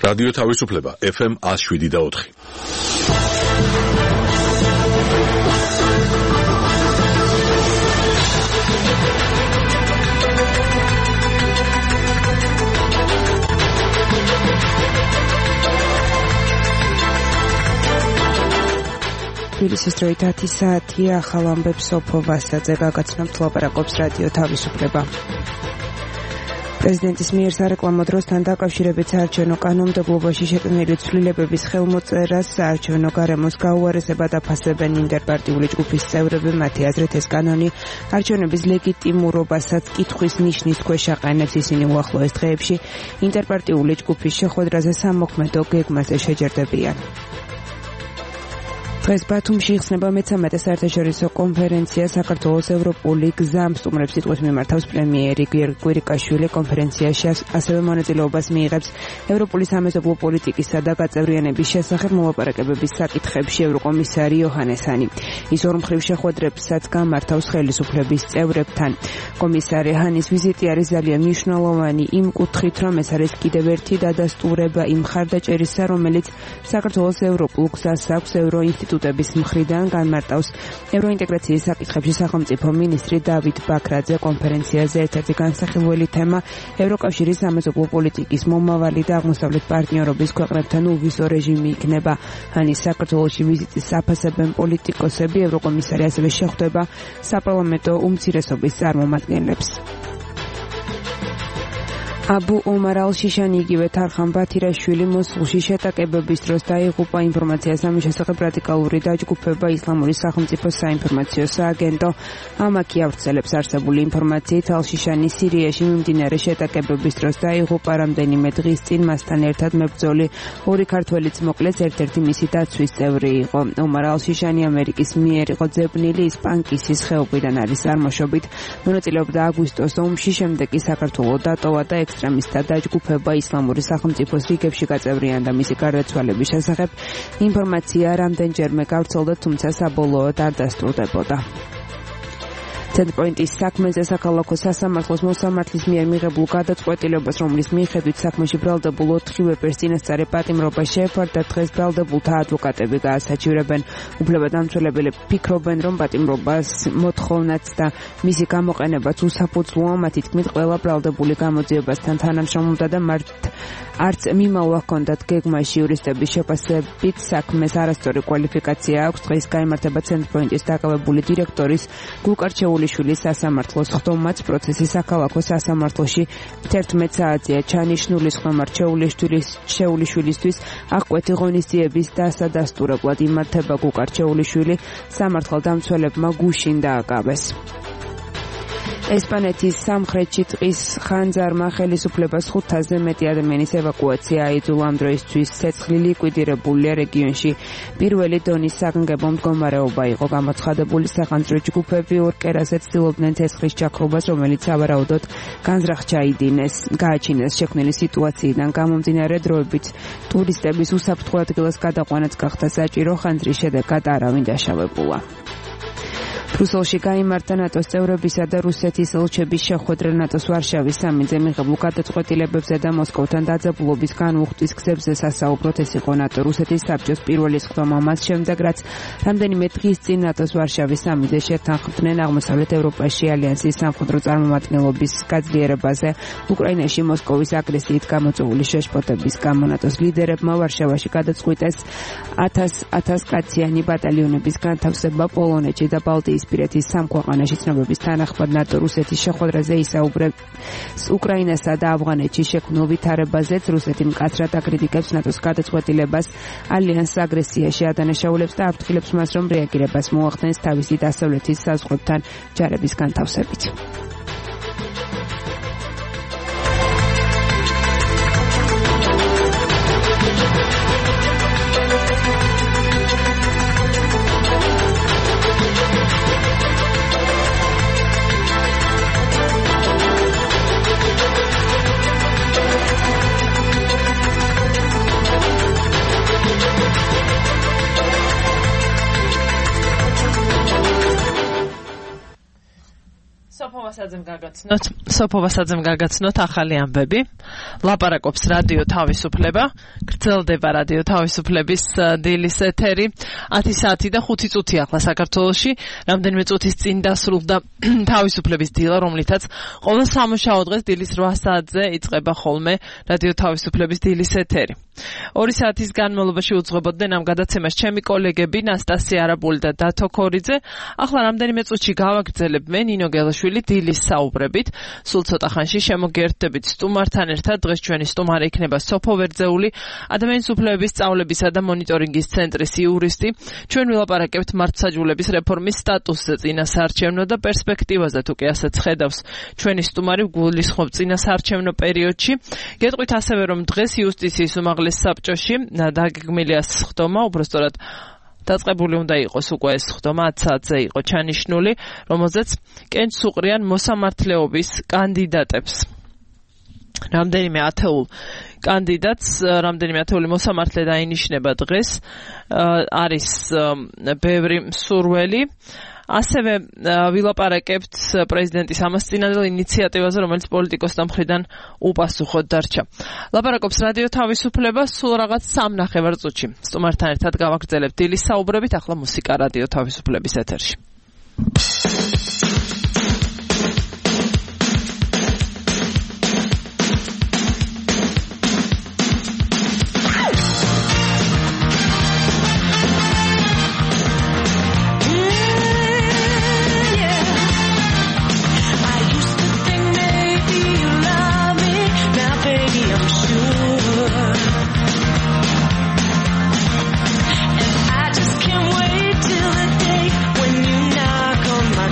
რადიო თავისუფლება FM 107.4. თბილისის დროით 10 საათია, ახალ ამბებს სოფო ვასაძე გაგაცნობთ, ლაპარაკობს რადიო თავისუფლება. პრეზიდენტის მიერ სარეკლამო დროსთან დაკავშირებით საარჩევნო კანონმდებლობაში შეტანილი ცვლილებების ხელმოწერას საარჩევნო გარემოს გაუარესება დაფასებენ ინტერპარტიული ჯგუფის წევრები. მათი აზრით ეს კანონი არჩევნების ლეგიტიმურობასაც კითხვის ნიშნის ქვეშ აყენებს. ისინი უახლოეს დღეებში ინტერპარტიული ჯგუფის შეხვედრაზე სამოქმედო გეგმაზე შეჯერდებიან. დღეს ბათუმში იხსნება მე-13 საერთაშორისო კონფერენცია საქართველოს ევროპული გზა სტუმრებს სიტყვის მიმართავს პრემიერი კვირიკაშვილი. კონფერენციაში ასევე მონაწილეობას მიიღებს ევროპული სამეზობლო პოლიტიკისა და გაწევრიანების შესახებ მოლაპარაკებების საკითხებში ევროკომისარი იოჰანესანი. ის ორმხრივ შეხვედრებსაც გამართავს ხელისუფლების წევრებთან. კომისარი ჰანის ვიზიტი არის ძალიან მნიშვნელოვანი იმ კუთხით, რომ ეს არის კიდევ ერთი დადასტურება იმ მხარდაჭერისა, რომელიც საქართველოს ევროპულ გზას აქვს ევროინსტიტუტების მხრიდან. განმარტავს ევროინტეგრაციის საკითხებში სახელმწიფო მინისტრი დავით ბაქრაძე. კონფერენციაზე ერთ-ერთი განსახილველი თემა ევროკავშირის სამეზობლო პოლიტიკის მომავალი და აღმოსავლეთ პარტნიორობის ქვეყნებთან უვიზო რეჟიმი იქნება. ჰანის საქართველოში ვიზიტის საფასებენ პოლიტიკოსები. ევროკომისარი ასევე შეხვდება საპარლამენტო უმცირესობის წარმომადგენლებს. აბუ ომარ ალ-შიშანი იგივე თარხან ბათირაშვილი მოსულში შეტაკებების დროს დაიღუპა. ინფორმაციას ამის შესახებ რადიკალური დაჯგუფება ისლამური სახელმწიფოს საინფორმაციო სააგენტო ამაკი ავრცელებს არსებული ინფორმაციით. ალ-შიშანი სირიაში მიმდინარე შეტაკებების დროს დაიღუპა. რამდენიმე დღის წინ მასთან ერთად მებრძოლი ორი ქართველიც მოკლეს, ერთ-ერთი მისი დაცვის წევრი იყო. ომარ ალ-შიშანი ამერიკის მიერ იყო ძებნილი, ის პანკისის ხეობიდან არის წარმოშობით. მონაწილეობდა აგვისტოს ომში, შემდეგ კი საქართველოს დატოვა და ექსტრემისტთა დაჯგუფება ისლამური სახელმწიფოს რიგებში გაწევრიანდა. მისი გარდაცვალების შესახებ ინფორმაცია რამდენჯერმე გავრცელდა, თუმცა საბოლოოდ არ დასტურდებოდა. ცენტრპოინტის საქმეზე საქალაქო სასამართლოს მოსამართლის მიერ მიღებულ გადაწყვეტილებას, რომლის მიხედვით საქმეში ბრალდებულ 4 ვეპერს წინასწარი პატიმრობა შეეფარდა, დღეს ბრალდებულთა ადვოკატები გაასაჩივრებენ. უფლებადამცველები ფიქრობენ, რომ პატიმრობას მოთხოვნაც და მისი გამოყენებაც უსაფუძვლოა. მათი თქმით, ყველა ბრალდებული გამოძიებასთან თანამშრომლობდა და არც მიმავლა ჰქონდათ გეგმაში. იურისტების შეფასებით საქმეს არასწორი კვალიფიკაცია აქვს. დღეს გაიმართება ცენტრპოინტის დაკავებული დირექტორის გულკარჩეულიშვილის სასამართლოს ხდომაც. პროცესი საქალაქო სასამართლოში 11 საათია ჩანიშნული. ხდომარ შეულიშვილისთვის აღკვეთი ღონისძიების დასადასტურებლად იმართება. გულკარჩეულიშვილი სამართალდამცველებმა გუშინ დააკავეს. ესპანეთის სამხრეთში ტყის ხანძარმა ხელისუფლებას 500-ზე მეტი ადამიანის ევაკუაცია აიძულა. ამ დროისთვის ცეცხლი ლიკვიდირებულია. რეგიონში პირველი დონის საგანგებო მდგომარეობა იყო. გამოცხადებული სახანძრო ჯგუფები ორ კერაზე ცდილობდნენ ცეცხლის ჩაქრობას, რომელიც სავარაუდოდ განზრახ გააჩინეს. შექმნილი სიტუაციიდან გამომდინარე დროებით ტურისტების უსაფრთხო ადგილას გადაყვანაც გახდა საჭირო. ხანძრის შედეგად არავინ დაშავებულა. ბრუსელში გაიმართა ნატოს წევრებისა და რუსეთის ელჩების შეხვედრა. ნატოს ვარშავის სამინძე მიღებულ გადაწყვეტილებებზე და მოსკოვთან დაძაბულობის განუხტვის გზებზე სასაუბროთ. ეს იყო ნატო-რუსეთის საბჭოს პირველი სხდომა მას შემდეგ, რაც რამდენიმე დღის წინ ნატოს ვარშავის სამინძე შეთანხმდნენ აღმოსავლეთ ევროპაში ალიანსის სამხედრო წარმომადგენლობის გაძლიერებაზე. უკრაინაში მოსკოვის აგრესიით გამოწვეული შეშფოთების გამო ნატოს ლიდერებმა ვარშავაში გადაწყვიტეს 1000 კაციანი ბატალიონების განთავსება. პოლონეთში და ბალტიის პირეთის სამ ქვეყანაში ცნობების თანახმად ნატო-რუსეთის შეხვედრაზე ისაუბრებს უკრაინასა და ავღანეთში შექმნილ ვითარებაზეც. რუსეთი მკაცრად აკრიტიკებს ნატოს გადაწყვეტილებას ალიანსს აგრესიაში ადანაშაულებს და აფრთხილებს მას, რომ რეაგირებას მოახდენს თავისი დასავლეთის საზღვრებთან ჯარების განთავსებით. სოფოვასაძემ გაგაცნოთ ახალი ამბები. ლაპარაკობს რადიო თავისუფლება, გრძელდება რადიო თავისუფლების დილის ეთერი 10 საათი და 5 წუთი ახლა საქართველოში. რამდენიმე წუთის წინ დასრულდა თავისუფლების დილა, რომლითაც ყოველ სამუშაო დღეს დილის 8 საათზე იწყება ხოლმე რადიო თავისუფლების დილის ეთერი. 2 საათის განმავლობაში უძღვებოდნენ ამ გადაცემას ჩემი კოლეგები ნასტასია არაბული და დათო ქორიძე. ახლა რამდენიმე წუთში გავაგრძელებ მე ნინო გელაშვილი დილის საუბრებით. სულ ცოტა ხანში შემოგერთდებით სტუმართან ერთად. დღეს ჩვენი სტუმარი იქნება სოფო ვერძეული, ადამიანის უფლებების სწავლებისა და მონიტორინგის ცენტრის იურისტი. ჩვენ ვილაპარაკებთ მართლმსაჯულების რეფორმის სტატუსზე, წინასაარჩევნო და პერსპექტივაზე, თუ კი ასეც ხედავს ჩვენი სტუმარი გულისხმობ წინასაარჩევნო პერიოდში. გეტყვით ასევე, რომ დღეს იუსტიციის უმაღლეს საბჭოში დაგეგმილია სხდომა, უბრალოდ დაწყებული უნდა იყოს უკვე ეს სხდომა 10 საათზე იყო ჩანიშნული, რომელზეც კენჭს უყრიან მოსამართლეობის კანდიდატებს. რამდენიმე ათეულ კანდიდატს, რამდენიმე ათეული მოსამართლე დაინიშნება დღეს, არის ბევრი მსურველი. ასევე ვილაპარაკებთ პრეზიდენტის ამასწინებელ ინიციატივაზე, რომელიც პოლიტიკოსთა მხრიდან უპასუხოდ დარჩა. ლაპარაკობს რადიო თავისუფლება სულ რაღაც 3.5 წუთში. სტუმართან ერთად გავაგრძელებთ დილის საუბრებით, ახლა მუსიკა რადიო თავისუფლების ეთერში. And I just can't wait till the day when you knock on my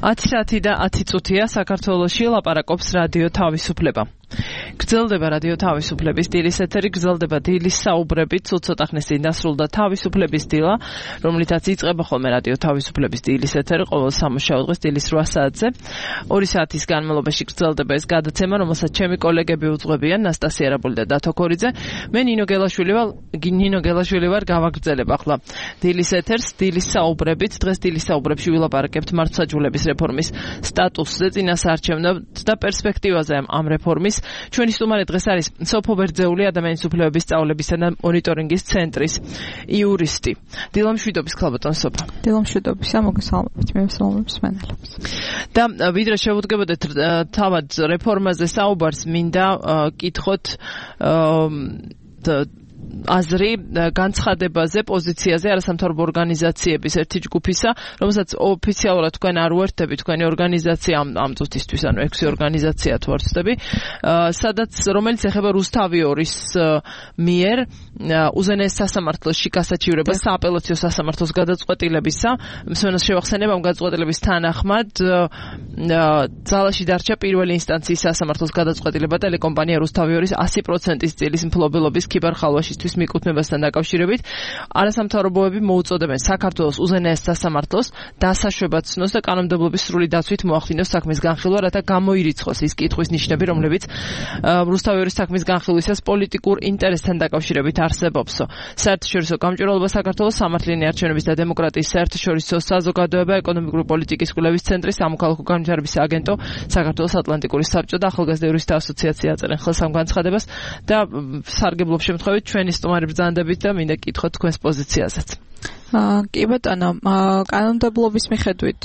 10 და 10 წუთია საქართველოში ლაპარაკობს რადიო თავისუფლება. გრძელდება რადიო თავისუფლების დილის ეთერი, გრძელდება დილის საუბრებით, ცოტა ხნის წინ დასრულდა თავისუფლების დილა, რომლითაც იწყება ხოლმე რადიო თავისუფლების დილის ეთერი ყოველ სამუშაო დღეს დილის 8 საათზე. 2 საათის განმავლობაში გრძელდება ეს გადაცემა, რომელსაც ჩემი კოლეგები უძღვებიან, ნასტასია რაბული და დათო ქორიძე. მე ნინო გელაშვილი ვარ, გავაგრძელებ ახლა დილის ეთერს, დილის საუბრებით. დღეს დილის საუბრებში ვილაპარაკებთ მართლმსაჯულების რეფორმის სტატუსზე, წინასაარჩევნოდ და პერსპექტივაზე ამ რეფორმის. ჩვენი სტუმარი დღეს არის სოფო ბერძეული ადამიანის უფლებების სწავლებისა და მონიტორინგის ცენტრის იურისტი. დილამშვიდობის ქალბატონ სოფო. დილამშვიდობისა, მოგესალმებით, მესალმებს მენელებს. და ვიდრე შევუდგებოდეთ თავად რეფორმაზე საუბარს, მინდა კითხოთ აზრი განცხადებაზე, პოზიციაზე არასამთავრობო ორგანიზაციების ერთი ჯგუფისა, რომელსაც ოფიციალურად თქვენ არ უერთდები, თქვენი ორგანიზაცია ამ წუთისთვის, ანუ 6 ორგანიზაცია თუ არ ვცდები, რომელიც ეხება რუსთავიორის მიერ უზენაეს სასამართლოში გასაჩივრება სააპელაციო სასამართლოს გადაწყვეტილებისა. მსმენელს შევახსენებ, ამ გადაწყვეტილების თანახმად ძალაში დარჩა პირველი ინსტანციის სასამართლოს გადაწყვეტილება ტელეკომპანია რუსთავიორის 100%-ის წილის მფლობელობის ქიბარ-ხალვაშის მიკუთვნებასთან დაკავშირებით. არასამთავრობოები მოუწოდებენ საქართველოს უზენაეს სასამართლოს დასაშვებად ცნოს და კანონმდებლობის სრული დაცვით მოახდინოს საქმის განხილვა, რათა გამოირიცხოს ის კითხვის ნიშნები, რომლებიც რუსთავიორის საქმის განხილვისას პოლიტიკურ ინტერესთან დაკავშირებით არსებობსო. საერთაშორისო გამჭვირვალობა საქართველოს სამართლიანი არჩევნების და დემოკრატიის საერთაშორისო საზოგადოება, ეკონომიკური პოლიტიკის კვლევის ცენტრი, სამოქალაქო განვითარების აგენტო, საქართველოს ატლანტიკური საბჭო და ახალგაზრდა იურისტთა ასოციაცია აწერენ ხელს ამ განცხადებას და სარგებლობ შემთხვევით ჩვენი სტუმარი ბრძანდებით და მინდა კითხოთ თქვენს პოზიციაზეც. კი ბატონო, კანონმდებლობის მიხედვით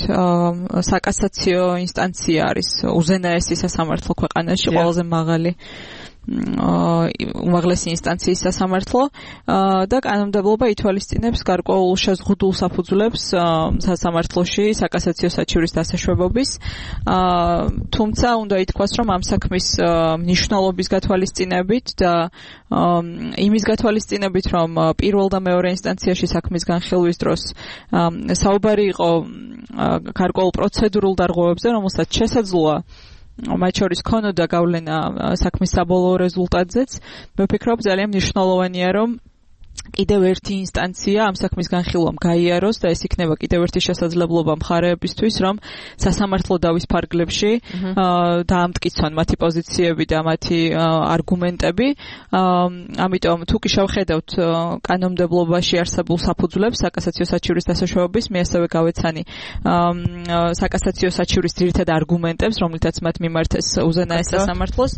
საკასაციო ინსტანცია არის უზენაესი სასამართლო ქვეყანაში, ყველაზე მაღალი უმაღლესი ინსტანციის სასამართლო და კანონმდებლობა ითვალისწინებს გარკვეულ შეზღუდულ საფუძვლებს სასამართლოში საკასაციო საჩივრის დასაშვებობის. თუმცა უნდა ითქვას, რომ ამ საქმის მნიშვნელობის გათვალისწინებით და იმის გათვალისწინებით, რომ პირველ და მეორე ინსტანციაში საქმის განხილვის დროს საუბარი იყო გარკვეულ პროცედურულ დარღვევებზე, რომელსაც შესაძლოა მათ შორის ქონოდა გავლენა საქმის საბოლოო რეზულტატზეც. მე ვფიქრობ, ძალიან მნიშვნელოვანია, რომ კიდევ ერთი ინსტანცია ამ საქმის განხილვამ გაიაროს და ეს იქნება კიდევ ერთი შესაძლებლობა მხარეებისთვის, რომ სასამართლო დავის ფარგლებში დაამტკიცონ მათი პოზიციები და მათი არგუმენტები. ამიტომ თუ კი შევხედავთ კანონმდებლობაში არსებულ საფუძვლებს საკასაციო საჩივრის დასაშვებების, მე ასევე გავეცანი საკასაციო საჩივრის ძირითად არგუმენტებს, რომლითაც მათ მიმართეს უზენაეს სასამართლოს.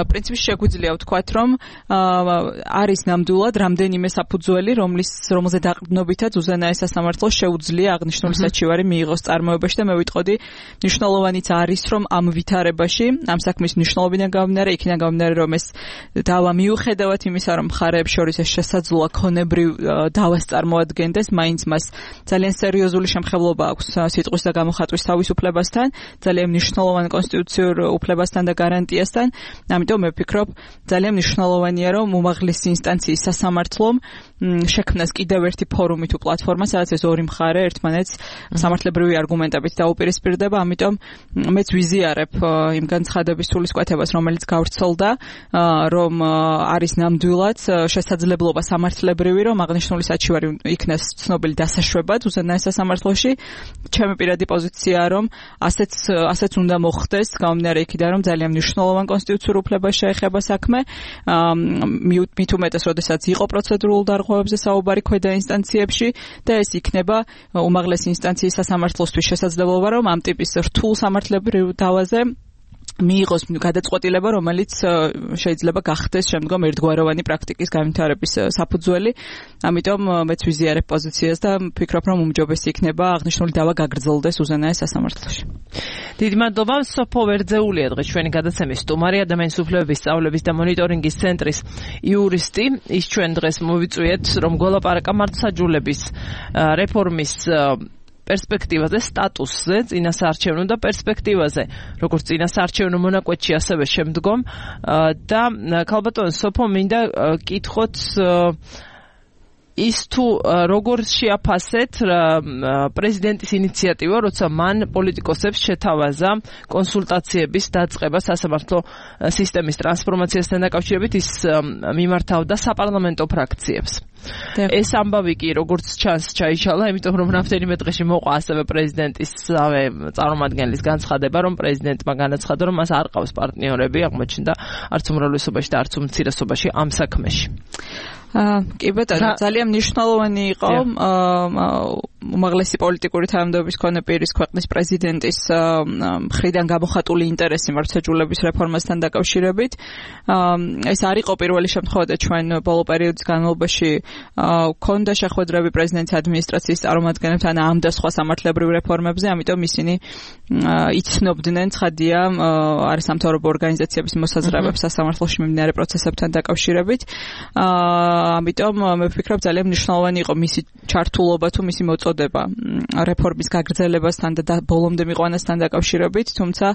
პრინციპში შეგვიძლია ვთქვათ, რომ არის ნამდვილად რამდენიმე საფუძველი, რომელზე დაყრდნობითაც უზენაეს სასამართლოს შეუძლია აღნიშნული საჩივარი მიიღოს წარმოებაში და მე ვიტყოდი, მნიშვნელოვანიც არის, რომ ამ ვითარებაში, ამ საქმის მნიშვნელობიდან გამომდინარე, იქიდან გამომდინარე, რომ ეს დავა მიუხედავად იმისა, რომ მხარეებს შორის ეს შესაძლოა ქონებრივ დავას წარმოადგენდეს, მაინც მას ძალიან სერიოზული შემხებლობა აქვს სიტყვის და გამოხატვის თავისუფლებასთან, ძალიან მნიშვნელოვან კონსტიტუციურ უფლებასთან და გარანტიასთან. ამიტომ მე ვფიქრობ, ძალიან მნიშვნელოვანია, რომ უმაღლესი ინსტანციის სასამართლომ შექმნას კიდევ ერთი ფორუმი თუ პლატფორმა, სადაც ეს ორი მხარე ერთმანეთს სამართლებრივი არგუმენტებით დაუპირისპირდება. ამიტომ მეც ვიზიარებ იმ განცხადების სულისკვეთებას, რომელიც გავრცელდა, რომ არის ნამდვილად შესაძლებლობა სამართლებრივი, რომ აღნიშნული საჩივარი იქნას ცნობილი დასაშვებად უზენაეს სასამართლოში. ჩემი პირადი პოზიციაა, რომ ასეც უნდა მოხდეს, გამომდინარე იქიდან, რომ ძალიან მნიშვნელოვან კონსტიტუციურ უფლებას შეეხება საქმე. მით უმეტეს, როდესაც იყო პროცედურულ დარღვევებზე საუბარი ქვედა ინსტანციებში და ეს იქნება უმაღლესი ინსტანციის სასამართლოსთვის შესაძლებლობა, რომ ამ ტიპის რთულ სამართლებრივ დავაზე მიიღოს გადაწყვეტილება, რომელიც შეიძლება გახდეს შემდგომ ერთგვაროვანი პრაქტიკის განვითარების საფუძველი. ამიტომ მეც ვიზიარებ პოზიციას და ვფიქრობ, რომ უმჯობესი იქნება აღნიშნული დავა გაგრძელდეს უზენაეს სასამართლოში. დიდი მადლობა. სოფო ბერძეულია დღეს ჩვენი გადაცემის სტუმარი, ადამიანის უფლებების სწავლების და მონიტორინგის ცენტრის იურისტი. ის ჩვენ დღეს მოვიწვიეთ, რომ გველაპარაკა მართლმსაჯულების რეფორმის პერსპექტივაზე, სტატუსზე, წინასაარჩევნო და პერსპექტივაზე, როგორც წინასაარჩევნო მონაკვეთში, ასევე შემდგომ. და ქალბატონ სოფო, მინდა კითხოთ ის თუ როგორ შეაფასეთ პრეზიდენტის ინიციატივა, როცა მან პოლიტიკოსებს შეთავაზა კონსულტაციების დაწყება სასამართლო სისტემის ტრანსფორმაციასთან დაკავშირებით, ის მიმართავდა საპარლამენტო ფრაქციებს. ეს ამბავი კი როგორც ჩანს ჩაიშალა, იმიტომ რომ რამდენიმე დღეში მოყვა ასევე პრეზიდენტის წარმომადგენლის განცხადება, რომ პრეზიდენტმა განაცხადა, რომ მას არ ყავს პარტნიორები, აღმოჩნდა არც უმრავლესობაში და არც უმცირესობაში ამ საქმეში. კი ბატონო, ძალიან მნიშვნელოვანი იყო უმაღლესი პოლიტიკური თანამდებობის მქონე პირის ქვეყნის პრეზიდენტის მხრიდან გამოხატული ინტერესი მართლმსაჯულების რეფორმასთან დაკავშირებით. ეს არ იყო პირველი შემთხვევა და ჩვენ ბოლო პერიოდის განმავლობაში ქონდა შეხვედრები პრეზიდენტის ადმინისტრაციის წარმომადგენლებთან ამ და სხვა სამართლებრივ რეფორმებზე, ამიტომ ისინი იცნობდნენ ცხადია არასამთავრობო ორგანიზაციების მოსაზრებებს სასამართლოში მიმდინარე პროცესებთან დაკავშირებით. ამიტომ მე ვფიქრობ ძალიან მნიშვნელოვანი იყო მისი ჩართულობა თუ მისი მოწოდება რეფორმის გაგრძელებასთან და ბოლომდე მიყვანასთან დაკავშირებით, თუმცა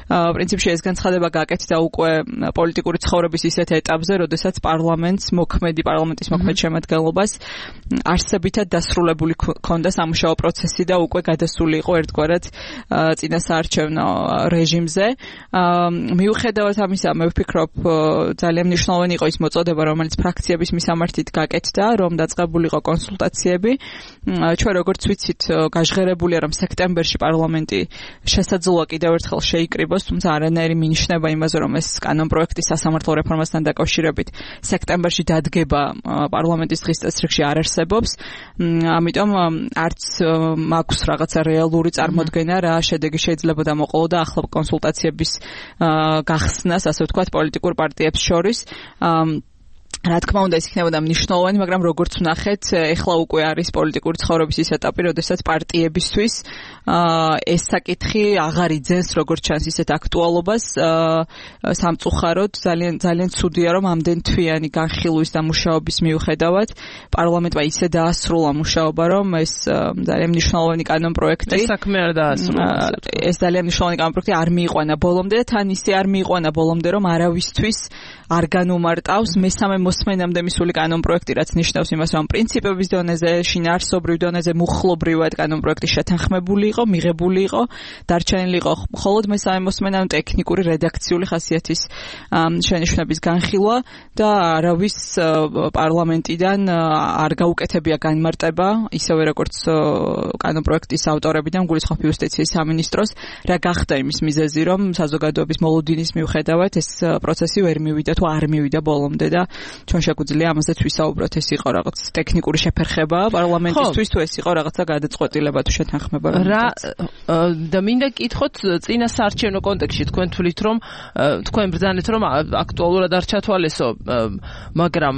პრინციპში ეს განცხადება გაკეთდა უკვე პოლიტიკური ცხოვრების ისეთ ეტაპზე, როდესაც პარლამენტის მოქმედ შემადგენლობას არსებითად დასრულებული ჰქონდა სამუშაო პროცესი და უკვე გადასული იყო ერთგვარად წინასაარჩევნო რეჟიმზე. მიუხედავად ამისა, მე ვფიქრობ ძალიან მნიშვნელოვანი იყო ის მოწოდება, რომელიც ფრაქციების მისამართით გაკეთდა, რომ დაწყებულიყო კონსულტაციები. ჩვენ როგორც ვიცით, გაჟღერებულია, რომ სექტემბერში პარლამენტი შესაძლოა კიდევ ერთხელ შეიკრიბოს, თუმცა არანაირი მინიშნება იმაზე, რომ ეს კანონპროექტი სასამართლო რეფორმასთან დაკავშირებით სექტემბერში დადგება პარლამენტის დღის წესრიგში არ არსებობს. ამიტომ არც მაქვს რაღაცა რეალური წარმოდგენა, რა შედეგი შეიძლება მოყოლოდა ახლა კონსულტაციების გახსნას, ასე ვთქვათ, პოლიტიკურ პარტიებს შორის. რა თქმა უნდა, ეს იქნებოდა მნიშვნელოვანი, მაგრამ როგორც ვნახეთ, ეხლა უკვე არის პოლიტიკური ცხოვრების ის ეტაპი, როდესაც პარტიებისთვის ეს საკითხი აღარ იძენს როგორც ჩანს ისეთ აქტუალობას. სამწუხაროდ ძალიან ცუდია, რომ ამდენ თვიანი განხილვის და მუშაობის მიუხედავად პარლამენტმა ისე დაასრულა მუშაობა, რომ ეს ძალიან მნიშვნელოვანი კანონპროექტი ეს საქმე არ დაასრულა. ეს ძალიან მნიშვნელოვანი კანონპროექტი არ მიიყვანა ბოლომდე და თან ისე არ მიიყვანა ბოლომდე, რომ არავისთვის არ განუმარტავს მესამე მოსმენამდე მისული კანონპროექტი, რაც ნიშნავს იმას, რომ პრინციპების დონეზე, შინაარსობრივ დონეზე, მუხლობრივად კანონპროექტი შეთანხმებული იყო, მიღებული იყო, დარჩენილი იყო მხოლოდ მესამე მოსმენამდე ტექნიკური რედაქციული ხასიათის შენიშვნების განხილვა და არავის პარლამენტიდან არ გაუკეთებია განმარტება, ისევე როგორც კანონპროექტის ავტორებიდან გულისხმობ იუსტიციის სამინისტროს, რა გახდა იმის მიზეზი, რომ საზოგადოების მოლოდინის მიუხედავად ეს პროცესი ვერ მივიდა თუ არ მივიდა ბოლომდე და ჩვენ შეგვიძლია ამაზეც ვისაუბროთ, ეს იყო რაღაც ტექნიკური შეფერხება პარლამენტისთვის თუ ეს იყო რაღაცა გადაწყვეტილება თუ შეთანხმება. და მინდა გითხოთ წინასაარჩევნო კონტექსტში თქვენ თვლით რომ თქვენ ბრძანეთ რომ აქტუალურად არ ჩათვალესო, მაგრამ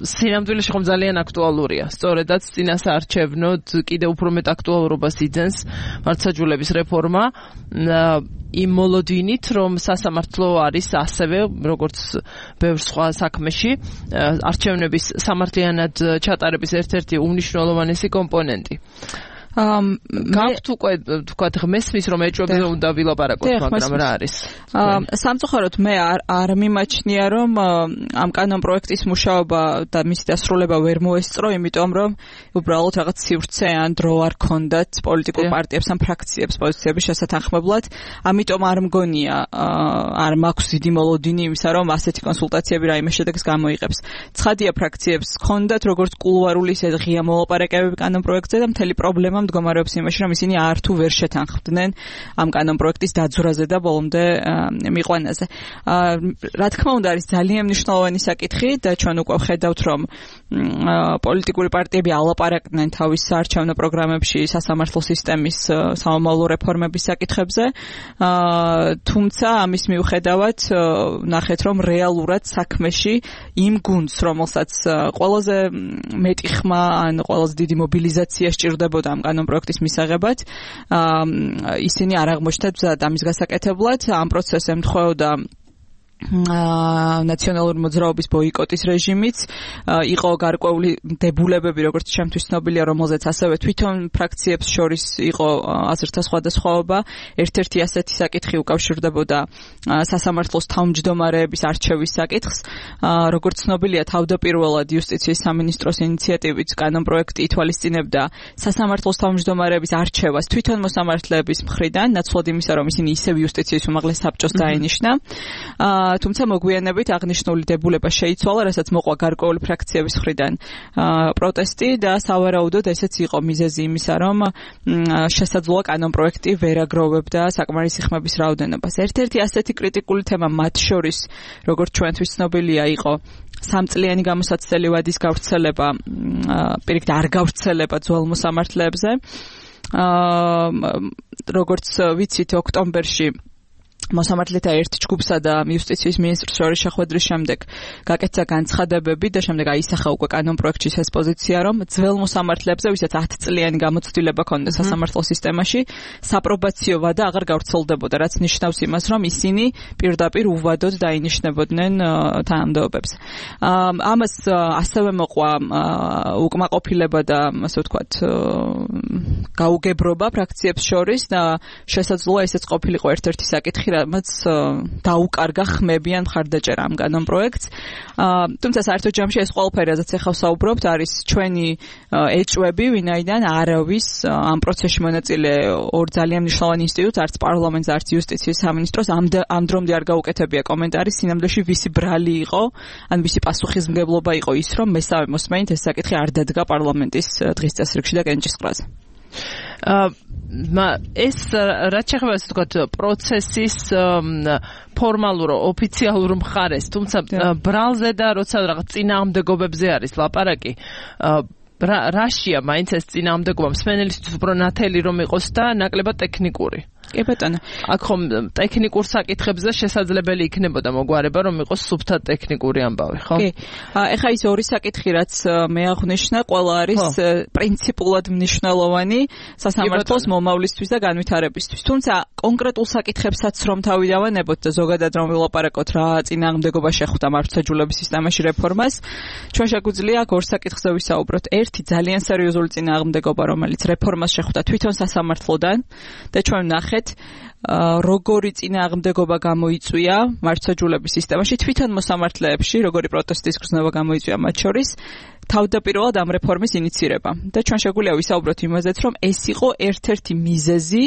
სინამდვილეში ხომ ძალიან აქტუალურია. სწორედაც წინასაარჩევნოდ კიდევ უფრო მეტ აქტუალურობას იძენს მართლმსაჯულების რეფორმა იმ მოლოდინით, რომ სასამართლო არის ასევე როგორც ბევრ სხვა საქმეში არჩევნების სამართლიანად ჩატარების ერთ-ერთი უმნიშვნელოვანესი კომპონენტი. გაქვთ უკვე თქვათ მესმის რომ ეჭვებზე უნდა ვილაპარაკოთ, მაგრამ რა არის? სამწუხაროდ მე არ მიმაჩნია რომ ამ კანონპროექტის მუშაობა და მისი დასრულება ვერ მოესწრო, იმიტომ რომ უბრალოდ რაღაც სივრცე ან დრო არ ქონდათ პოლიტიკურ პარტიებს ან ფრაქციებს პოზიციების შესათანხმებლად. ამიტომ არ მგონია, არ მაქვს დიდი მოლოდინი იმისა, რომ ასეთი კონსულტაციები რაიმე შედეგს გამოიღებს. ცხადია, ფრაქციებს ქონდათ როგორც კულუარული ისე ღია მოლაპარაკებები კანონპროექტზე და მთელი პრობლემა მდგომარეობს იმაში, რომ ისინი არ თუ ვერ შეთანხმდნენ ამ კანონპროექტის დაძვრაზე და ბოლომდე მიყვანაზე. რა თქმა უნდა, არის ძალიან მნიშვნელოვანი საკითხი და ჩვენ უკვე ვხედავთ, რომ პოლიტიკური პარტიები ალაპარაკდნენ თავის საარჩევნო პროგრამებში სასამართლო სისტემის სამომავლო რეფორმების საკითხებზე. თუმცა ამის მიუხედავად ნახეთ, რომ რეალურად საქმეში იმ გუნდს, რომელსაც ყველაზე მეტი ხმა ან ყველაზე დიდი მობილიზაცია სჭირდებოდა ამ კანონპროექტის მისაღებად, ისინი არ აღმოჩნდათ მზად ამის გასაკეთებლად. ამ პროცესს ემთხვეოდა ნაციონალური მოძრაობის ბოიკოტის რეჟიმიც იყო გარკვეული დებულებები, როგორც ჩემთვის ცნობილია, რომელზეც ასევე თვითონ ფრაქციებს შორის იყო აზრთა სხვადასხვაობა. ერთ-ერთი ასეთი საკითხი უკავშირდებოდა სასამართლოს თავმჯდომარეების არჩევის საკითხს. როგორც ცნობილია, თავდაპირველად იუსტიციის სამინისტროს ინიციატივით კანონპროექტი ითვალისწინებდა სასამართლოს თავმჯდომარეების არჩევას თვითონ მოსამართლეების მხრიდან, ნაცვლად იმისა, რომ ისინი ისევ იუსტიციის უმაღლეს საბჭოს დაენიშნა. თუმცა მოგვიანებით აღნიშნული დებულება შეიცვალა, რასაც მოყვა გარკვეული ფრაქციების მხრიდან პროტესტი და სავარაუდოდ ესეც იყო მიზეზი იმისა, რომ შესაძლოა კანონპროექტი ვერ აგროვებდა საკმარისი ხმების რაოდენობას. ერთ-ერთი ასეთი კრიტიკული თემა მათ შორის, როგორც ჩვენთვის ცნობილია, იყო 3 წლიანი გამოსაცდელი ვადის გავრცელება, პირიქით არ გავრცელება ძველ მოსამართლეებზე. როგორც ვიცით, ოქტომბერში მოსამართლეთა ერთ ჯგუფსა და იუსტიციის მინისტრს შორის შეხვედრის შემდეგ გაკეთდა განცხადებები და შემდეგ აისახა უკვე კანონპროექტის ეს პოზიცია, რომ ძველ მოსამართლეებზე, ვისაც 10 წლიანი გამოცდილება ჰქონდა სასამართლო სისტემაში, საპრობაციო ვადა აღარ გავრცელდებოდა, რაც ნიშნავს იმას, რომ ისინი პირდაპირ უვადოდ დაინიშნებოდნენ თანამდებობებს. ამას ასევე მოყვა უკმაყოფილება და ასე ვთქვათ გაუგებრობა ფრაქციებს შორის და შესაძლოა ესეც ყოფილიყო ერთ-ერთი საკითხი, რაც დაუკარგა ხმები ან მხარდაჭერა ამ კანონპროექტს. თუმცა საერთო ჯამში ეს ყველაფერი, რაზეც ახლა ვსაუბრობთ, არის ჩვენი ეჭვები, ვინაიდან არავის ამ პროცესში მონაწილე ორ ძალიან მნიშვნელოვან ინსტიტუტს, არც პარლამენტს, არც იუსტიციის სამინისტროს ამ დრომდე არ გაუკეთებია კომენტარი, სინამდვილეში ვისი ბრალი იყო, ან ვისი პასუხისმგებლობა იყო ის, რომ მესამე მოსმენით ეს საკითხი არ დადგა პარლამენტის დღის წესრიგში და კენჭისყრაზე. ეს რაც შეეხება ასე ვთქვათ პროცესის ფორმალურ ოფიციალურ მხარეს, თუმცა ბრალზე და როცა რაღაც წინააღმდეგობებზე არის ლაპარაკი, რაშია მაინც ეს წინააღმდეგობა მსმენელისთვის უფრო ნათელი რომ იყოს და ნაკლებად ტექნიკური. კი ბატონო. აქ ხომ ტექნიკურ საკითხებზე შესაძლებელი იქნებოდა მოგვარება, რომ იყოს სუფთად ტექნიკური ამბავი, ხო? კი. ეხლა ის ორი საკითხი, რაც მე აღვნიშნა, ყველა არის პრინციპულად მნიშვნელოვანი სასამართლოს მომავლისთვის და განვითარებისთვის. თუმცა კონკრეტულ საკითხებსაც რომ თავი დავანებოთ და ზოგადად რომ ვილაპარაკოთ რა წინააღმდეგობა შეხვდა მართლმსაჯულების სისტემაში რეფორმას, ჩვენ შეგვიძლია აქ ორ საკითხზე ვისაუბროთ. ერთი ძალიან სერიოზული წინააღმდეგობა, რომელიც რეფორმას შეხვდა თვითონ სასამართლოდან და ჩვენ ვნახეთ როგორი წინააღმდეგობა გამოიწვია მართლმსაჯულების სისტემაში, თვითონ მოსამართლეებში, როგორი პროტესტის გრძნობა გამოიწვია მათ შორის, თავდაპირველად ამ რეფორმის ინიცირება. და ჩვენ შეგვიძლია ვისაუბროთ იმაზეც, რომ ეს იყო ერთ-ერთი მიზეზი,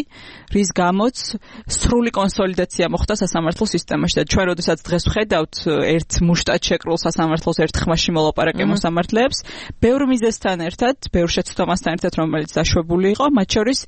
რის გამოც სრული კონსოლიდაცია მოხდა სასამართლო სისტემაში. და ჩვენ როდესაც დღეს ვხედავთ ერთ მუშტად შეკრულ სასამართლოს ერთ ხმაში მოლაპარაკე მოსამართლეებს, ბევრ მიზეზთან ერთად, ბევრ შეცდომასთან ერთად, რომელიც დაშვებული იყო, მათ შორის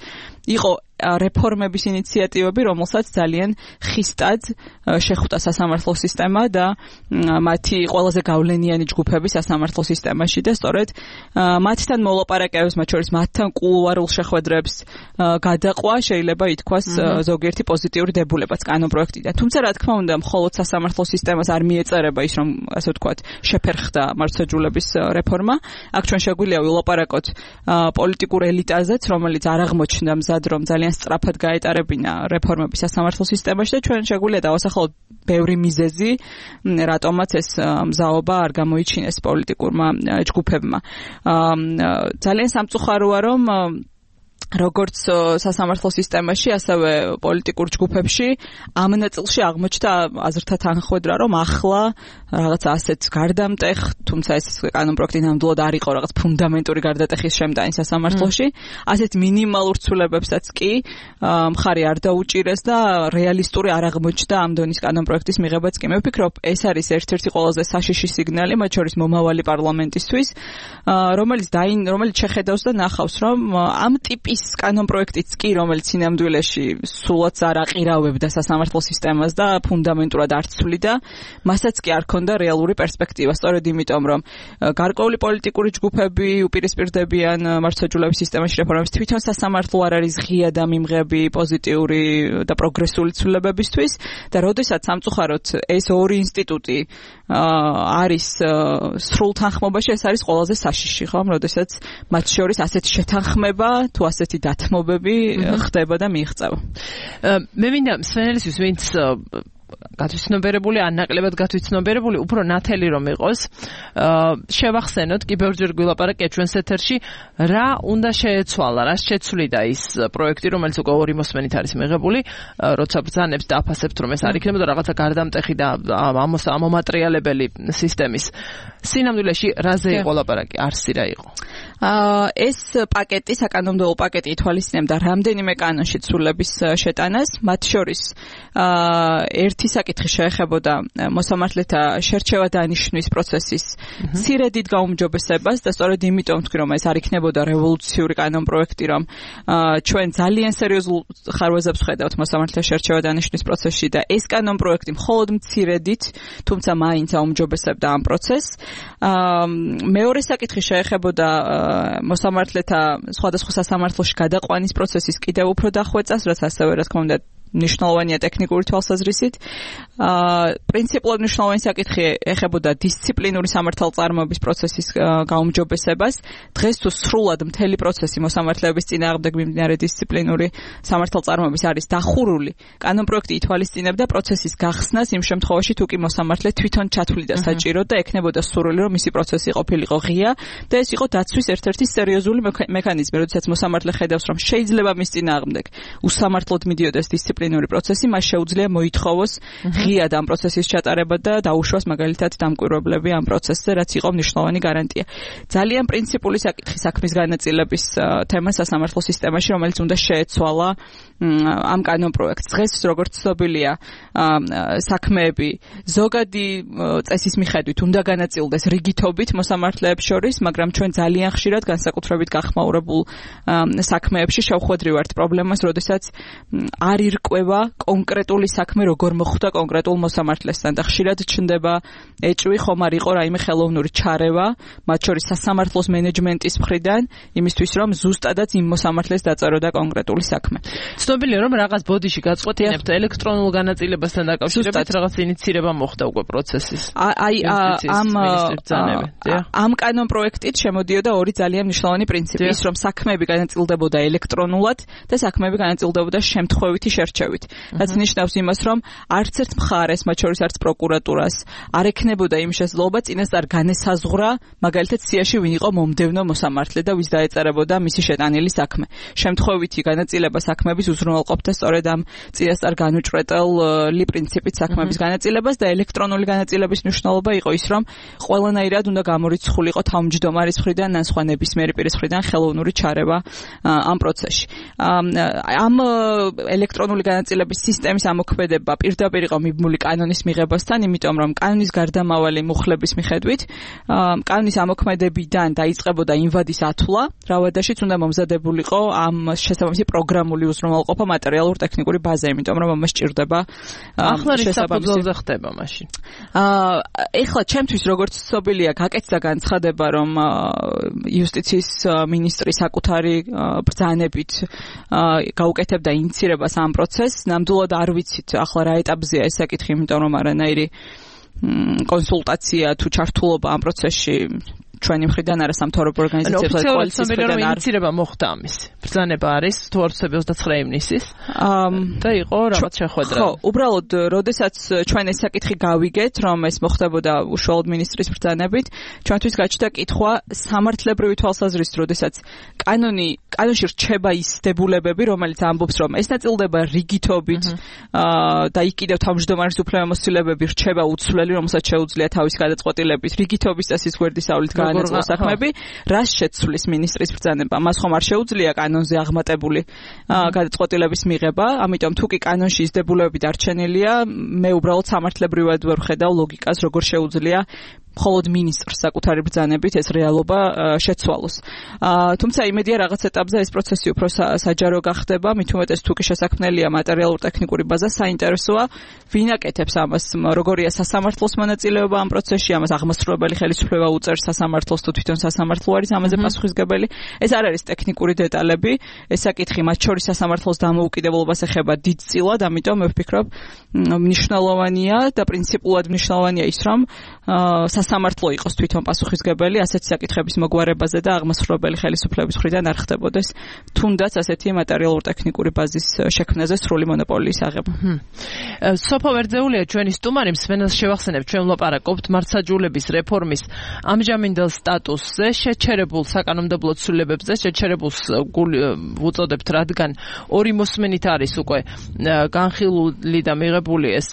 იყო რეფორმების ინიციატივები, რომელსაც ძალიან ხისტად შეხვდა სასამართლო სისტემა და მათი ყველაზე გავლენიანი ჯგუფები სასამართლო სისტემაში და სწორედ მათთან მოლაპარაკებებს, მათ შორის მათთან კულუარულ შეხვედრებს გადაყვა შეიძლება ითქვას ზოგიერთი პოზიტიური დებულებაც კანონპროექტიდან. თუმცა რა თქმა უნდა, მხოლოდ სასამართლო სისტემას არ მიეწერება ის, რომ ასე ვთქვათ, შეფერხდა მართლმსაჯულების რეფორმა. აქ ჩვენ შეგვიძლია ვილაპარაკოთ პოლიტიკურ ელიტაზეც, რომელიც არ აღმოჩნდა მზად, რომ ძალიან სწრაფად გაეტარებინა რეფორმები სასამართლო სისტემაში და ჩვენ შეგვიძლია დავასახელოთ ბევრი მიზეზი, რატომაც ეს მზაობა არ გამოიჩინეს პოლიტიკურმა ჯგუფებმა. ძალიან სამწუხაროა, რომ როგორც სასამართლო სისტემაში, ასევე პოლიტიკურ ჯგუფებში ამ ნაწილში აღმოჩნდა აზრთა თანხმედრა, რომ ახლა რაღაც ასეთ გარდამტეხ, თუმცა ეს კანონპროექტი ნამდვილად არ იყო რაღაც ფუნდამენტური გარდატეხის შემტანი სასამართლოში, ასეთ მინიმალურ ცვლილებებსაც კი მხარი არ დაუჭირეს და რეალისტური არ აღმოჩნდა ამ დონის კანონპროექტის მიღებაც კი. მე ვფიქრობ, ეს არის ერთ-ერთი ყველაზე საშიში სიგნალი, მათ შორის მომავალი პარლამენტისთვის, რომელიც შეხედავს და ნახავს, რომ ამ ტიპის კანონპროექტიც კი, რომელიც სინამდვილეში სულაც არ აყირავებდა სასამართლო სისტემას და ფუნდამენტურად არ ცვლიდა, მასაც კი არ ქონდა რეალური პერსპექტივა. სწორედ იმიტომ, რომ გარკვეული პოლიტიკური ჯგუფები უპირისპირდებიან მართლმსაჯულების სისტემაში რეფორმებს, თვითონ სასამართლო არ არის ღია და მიმღები პოზიტიური და პროგრესული ცვლილებებისთვის და როდესაც სამწუხაროდ ეს ორი ინსტიტუტი არის სრულ თანხმობაში, ეს არის ყველაზე საშიში, ხო? როდესაც მათ შორის ასეთი შეთანხმება თუ ასეთი დათმობები ხდება და მიიღწევა. მე მინდა მსმენელისთვის, ვინც გათვითცნობიერებული, ან ნაკლებად გათვითცნობიერებული, უფრო ნათელი რომ იყოს. შევახსენოთ, კიბერჯერ გვილაპარაკეთ ჩვენს ეთერში, რა უნდა შეეცვალა, რა შეცვლიდა ის პროექტი, რომელიც უკვე 2 მოსმენით არის მიღებული, როცა ბრძანებს და აფასებთ, რომ ეს არ იქნებოდა რაღაცა გარდამტეხი და ამომატრიალებელი სისტემის. სინამდვილეში რაზე იყო ლაპარაკი? არსი რა იყო? ეს პაკეტი, საკანონმდებლო პაკეტი ითვალისწინებდა რამდენიმე კანონში ცვლილების შეტანას, მათ შორის ერთი საკითხი შეეხებოდა მოსამართლეთა შერჩევა დანიშნვის პროცესის მცირედით გაუმჯობესებას და სწორედ იმიტომ ვთქვი, რომ ეს არ იქნებოდა რევოლუციური კანონპროექტი, რომ ჩვენ ძალიან სერიოზულ ხარვეზებს ვხედავთ მოსამართლეთა შერჩევა დანიშნვის პროცესში და ეს კანონპროექტი მხოლოდ მცირედით, თუმცა მაინც აუმჯობესებდა ამ პროცესს. მეორე საკითხი შეეხებოდა მოსამართლეთა სხვადასხვა სასამართლოში გადაყვანის პროცესის კიდევ უფრო დახვეწას, რაც ასევე რა თქმა უნდა მნიშვნელოვანია ტექნიკური თვალსაზრისით. პრინციპულად მნიშვნელოვანი საკითხი ეხებოდა დისციპლინური სამართალწარმოების პროცესის გაუმჯობესებას. დღეს თუ სრულად მთელი პროცესი მოსამართლეების წინააღმდეგ მიმდინარე დისციპლინური სამართალწარმოების არის დახურული, კანონპროექტი ითვალისწინებდა პროცესის გახსნას იმ შემთხვევაში, თუ კი მოსამართლე თვითონ ჩათვლიდა საჭირო და ექნებოდა სურვილი, რომ მისი პროცესი ყოფილიყო ღია და ეს იყო დაცვის ერთ-ერთი სერიოზული მექანიზმი, როდესაც მოსამართლე ხედავს, რომ შეიძლება მის წინააღმდეგ უსამართლოდ მიდიოდეს დისციპლინური პროცესი, მას შეუძლია მოითხოვოს ღიად ამ პროცესის ჩატარება და დაუშვას მაგალითად დამკვირვებლები ამ პროცესზე, რაც იყო მნიშვნელოვანი გარანტია. ძალიან პრინციპული საკითხი საქმის განაწილების თემა სასამართლო სისტემაში, რომელიც უნდა შეეცვალა ამ კანონპროექტს. დღეს როგორც ცნობილია, საქმეები ზოგადი წესის მიხედვით უნდა განაწილდეს რიგითობით მოსამართლეებს შორის, მაგრამ ჩვენ ძალიან ხშირად განსაკუთრებით გახმაურებულ საქმეებში შევხვედრი ვართ პრობლემას, როდესაც არ ირკვევა კონკრეტული საქმე როგორ მოხდა კონკრეტულ მოსამართლესთან და ხშირად ჩნდება ეჭვი, ხომ არ იყო რაიმე ხელოვნური ჩარევა, მათ შორის სასამართლოს მენეჯმენტის მხრიდან, იმისთვის რომ ზუსტადაც იმ მოსამართლეს დაწეროდა კონკრეტული საქმე. ცნობილია რომ რაღაც ბოდიში გაწყვეტინებთ ელექტრონულ განაწილებასთან დაკავშირებით რაღაც ინიციირება მოხდა უკვე პროცესის. ამ კანონპროექტით შემოდიოდა ორი ძალიან მნიშვნელოვანი პრინციპი, ის რომ საქმეები განაწილდებოდა ელექტრონულად და საქმეები განაწილდებოდა შემთხვევითი შერჩევით. რაც ნიშნავს იმას, რომ არც ერთ მხარეს, მათ შორის არც პროკურატურას, არ ექნებოდა იმ შესაძლებლობა წინასწარ განესაზღვრა, მაგალითად სიაში ვინ იყო მომდევნო მოსამართლე და ვის დაეწერებოდა მისი შეტანილი საქმე. შემთხვევითი განაწილება საქმეების უზრუნველყოფდა სწორედ ამ წინასწარ განუჭრეტელი პრინციპით საქმეების განაწილებას და ელექტრონული განაწილების მნიშვნელობა იყო ის, რომ ყველანაირად უნდა გამორიცხულიყო თავმჯდომარის მხრიდან ან სხვა ნებისმიერი პირის მხრიდან ხელოვნური ჩარევა ამ პროცესში. ამ ელექტრონული განაწილების სისტემის ამოქმედება პირდაპირ იყო მიბმული კანონის მიღებასთან, იმიტომ რომ კანონის გარდამავალი მუხლების მიხედვით კანონის ამოქმედებიდან დაიწყებოდა იმ ვადის ათვლა, რა ვადაშიც უნდა მომზადებულიყო ამ შესაბამისი პროგრამული უზრუნველყოფა მატერიალურ ტექნიკური ბაზა, იმიტომ რომ ამას სჭირდება შესაბამისი ხდება მაშინ. ეხლა ჩემთვის როგორც ცნობილია, გაკეთდა განცხადება, რომ იუსტიციის მინისტრი საკუთარი ბრძანებით გაუკეთებდა ინიციირებას ამ პროცესს. ნამდვილად არ ვიცით ახლა რა ეტაპზეა ეს საკითხი, იმიტომ რომ არანაირი კონსულტაცია თუ ჩართულობა ამ პროცესში ჩვენი მხრიდან არა სამთავრობო ორგანიზაციებთან და კოალიციის მხრიდან არ ინიციირება მოხდა ამის. ბრძანება არის 29 ივნისის და იყო რაღაც შეხვედრა. ხო, უბრალოდ როდესაც ჩვენ ეს საკითხი გავიგეთ, რომ ეს მოხდებოდა უშუალოდ მინისტრის ბრძანებით, ჩვენთვის გაჩნდა კითხვა სამართლებრივი თვალსაზრისით, როდესაც კანონში რჩება ის დებულებები, რომელიც ამბობს, რომ ეს ნაწილდება რიგითობით და იქ კიდევ თავმჯდომარის უფლებამოსილებები რჩება უცვლელი, რომელსაც შეუძლია თავისი გადაწყვეტილებით რიგითობის წესის გვერდისავლით განაწილოს საქმეები, რას შეცვლის მინისტრის ბრძანება? მას ხომ არ შეუძლია კანონზე აღმატებული გადაწყვეტილების მიღება, ამიტომ თუ კი კანონში ის დებულებები დარჩენილია, მე უბრალოდ სამართლებრივად ვერ ვხედავ ლოგიკას, როგორ შეუძლია მხოლოდ მინისტრს საკუთარი ბრძანებით ეს რეალობა შეცვალოს. თუმცა იმედია რაღაც ეტაპზე ეს პროცესი უფრო საჯარო გახდება, მით უმეტეს თუ კი შესაქმნელია მატერიალურ-ტექნიკური ბაზა, საინტერესოა ვინ აკეთებს ამას, როგორია სასამართლოს მონაწილეობა ამ პროცესში, ამას აღმასრულებელი ხელისუფლება უწევს სასამართლოს თუ თვითონ სასამართლო არის ამაზე პასუხისმგებელი. ეს არ არის ტექნიკური დეტალები, ეს საკითხი მათ შორის სასამართლოს დამოუკიდებლობას ეხება დიდწილად, ამიტომ მე ვფიქრობ მნიშვნელოვანია და პრინციპულად მნიშვნელოვანია ის, რომ სასამართლო იყოს თვითონ პასუხისმგებელი ასეთი საკითხების მოგვარებაზე და აღმასრულებელი ხელისუფლების მხრიდან არ ხდებოდეს თუნდაც ასეთი მატერიალურ-ტექნიკური ბაზის შექმნაზე სრული მონოპოლიის აღება. სოფო ვერძეულია ჩვენი სტუმარი, მსმენელს შევახსენებთ, ჩვენ ვლაპარაკობთ მართლმსაჯულების რეფორმის ამჟამინდელ სტატუსზე, შეჩერებულ საკანონმდებლო ცვლილებებზე, შეჩერებულს ვუწოდებთ, რადგან ორი მოსმენით არის უკვე განხილული და მიღებული ეს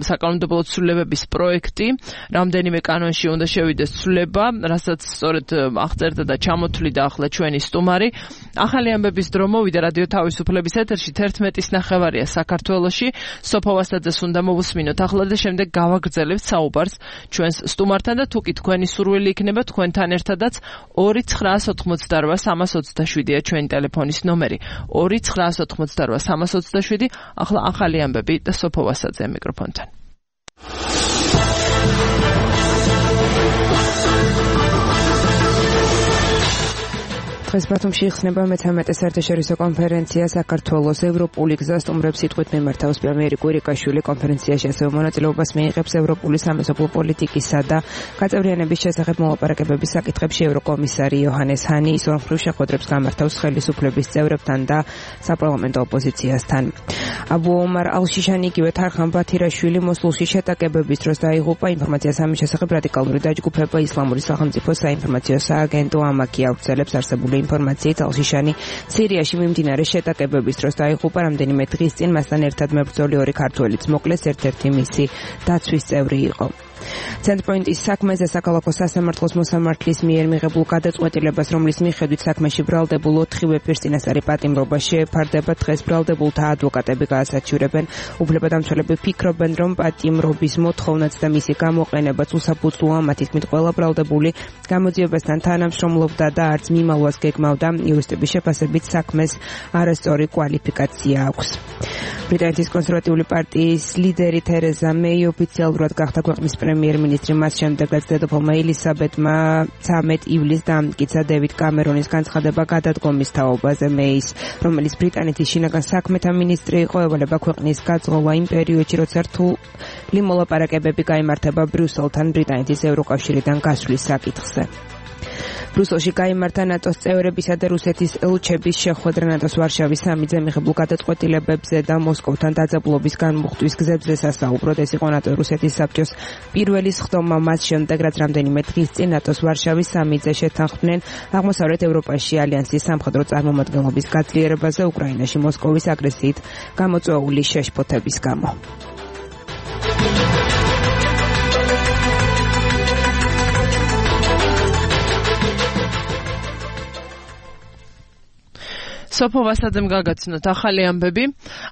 საკანონმდებლო ცვლილებების პროექტი, რამდენიმე კანონში უნდა შევიდეს ცვლილება, რასაც სწორედ აღწერდა და ჩამოთვლიდა ახლა ჩვენი სტუმარი. ახალი ამბების დრო მოვიდა რადიო თავისუფლების ეთერში 11:09 საქართველოში. სოფო ვასაძეს უნდა მოვუსმინოთ ახლა და შემდეგ გავაგრძელებთ საუბარს ჩვენს სტუმართან და თუკი თქვენი სურვილი იქნება თქვენთან ერთადაც 2988327-ია ჩვენი ტელეფონის ნომერი. 2988327. ახლა ახალი ამბები და სოფო ვასაძე მიკროფონთან. დღეს ბათუმში იხსნება მე-13 საერთაშორისო კონფერენცია საქართველოს ევროპული გზა სტუმრებს სიტყვით მიმართავს პრემიერი კვირიკაშვილი. კონფერენციაში ასევე მონაწილეობას მიიღებს ევროპული სამეზობლო პოლიტიკისა და გაწევრიანების შესახებ მოლაპარაკებების საკითხებში ევროკომისარი იოჰანეს ჰანი. ის ორმხრივ შეხვედრებს გამართავს ხელისუფლების წევრებთან და საპარლამენტო ოპოზიციასთან. აბუ ომარ ალ-შიშანი იგივე თარხან ბათირაშვილი მოსულში შეტაკებების დროს დაიღუპა. ინფორმაციას ამის შესახებ რადიკალური დაჯგუფება ისლამური სახელმწიფოს საინფორმაციო სააგენტო ამაკი ავრცელებს არსებული ინფორმაციით ალ-შიშანი სირიაში მიმდინარე შეტაკებების დროს დაიღუპა. რამდენიმე დღის წინ მასთან ერთად მებრძოლი ორი ქართველიც მოკლეს, ერთ-ერთი მისი დაცვის წევრი იყო. ცენტრპოინტის საქმეზე საქალაქო სასამართლოს მოსამართლის მიერ მიღებულ გადაწყვეტილებას, რომლის მიხედვით საქმეში ბრალდებულ 4-ვე პირს წინასწარი პატიმრობა შეეფარდება, დღეს ბრალდებულთა ადვოკატები გაასაჩივრებენ. უფლებადამცველები ფიქრობენ, რომ პატიმრობის მოთხოვნაც და მისი გამოყენებაც უსაფუძვლოა. მათი თქმით, ყველა ბრალდებული გამოძიებასთან თანამშრომლობდა და არც მიმალვას გეგმავდა. იურისტების შეფასებით საქმეს არასწორი კვალიფიკაცია აქვს. ბრიტანეთის კონსერვატიული პარტიის ლიდერი თერეზა მეი ოფიციალურად გახდა ქვეყნის პრემიერ-მინისტრი. მას შემდეგაც დედოფალმა ელისაბედმა 13 ივლისს დაამტკიცა დევიდ კამერონის განცხადება გადადგომის თაობაზე. მეის, რომელიც ბრიტანეთის შინაგან საქმეთა მინისტრი იყო, ევალება ქვეყნის გაძღობა იმ პერიოდში, როცა რთული მოლაპარაკებები გაიმართება ბრიუსელთან ბრიტანეთის ევროკავშირიდან გასვლის საკითხზე. ბრუსელში გაიმართა ნატოს წევრებისა და რუსეთის ელჩების შეხვედრა. ნატოს ვარშავის სამიტზე მიღებულ გადაწყვეტილებებზე და მოსკოვთან დაძაბულობის განმუხტვის გზებზე სასაუბროდ. ეს იყო ნატო-რუსეთის საბჭოს პირველი სხდომა მას შემდეგ, რაც რამდენიმე დღის წინ ნატოს ვარშავის სამიტზე შეთანხმდნენ აღმოსავლეთ ევროპაში ალიანსის სამხედრო წარმომადგენლობის გაძლიერებაზე უკრაინაში მოსკოვის აგრესიით გამოწვეული შეშფოთების გამო. სოფო ვასაძემ გაგაცნოთ ახალი ამბები.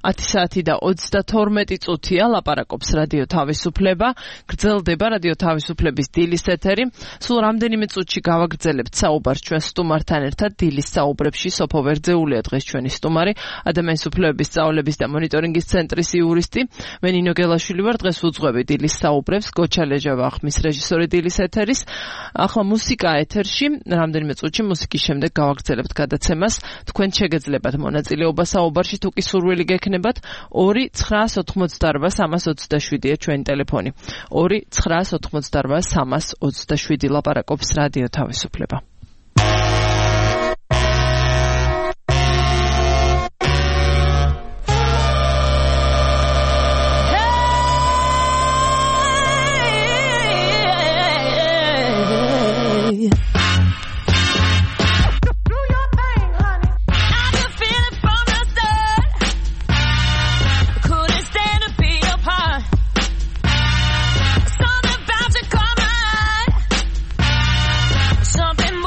10 საათი და 32 წუთია ლაპარაკობს რადიო თავისუფლება. გრძელდება რადიო თავისუფლების დილის ეთერი. სულ რამდენიმე წუთში გავაგრძელებთ საუბარს ჩვენ სტუმართან ერთად. დილის საუბრებში სოფო ვერძეულია დღეს ჩვენი სტუმარი, ადამიანის უფლებების სწავლების და მონიტორინგის ცენტრის იურისტი. მე ნინო გელაშვილი ვარ. დღეს უძღვები დილის საუბრებს. გოჩა ლეჟავა ხმის რეჟისორი დილის ეთერის. ახლა მუსიკა ეთერში. რამდენიმე წუთში მუსიკის შემდეგ გავაგრძელებთ გადაცემას. თქვენ შეგეძლებათ მონაწილეობა საუბარში, თუკი სურვილი გექნებათ. 2988327-ია ჩვენი ტელეფონი. 2988327 ლაპარაკობს რადიო თავისუფლება. Something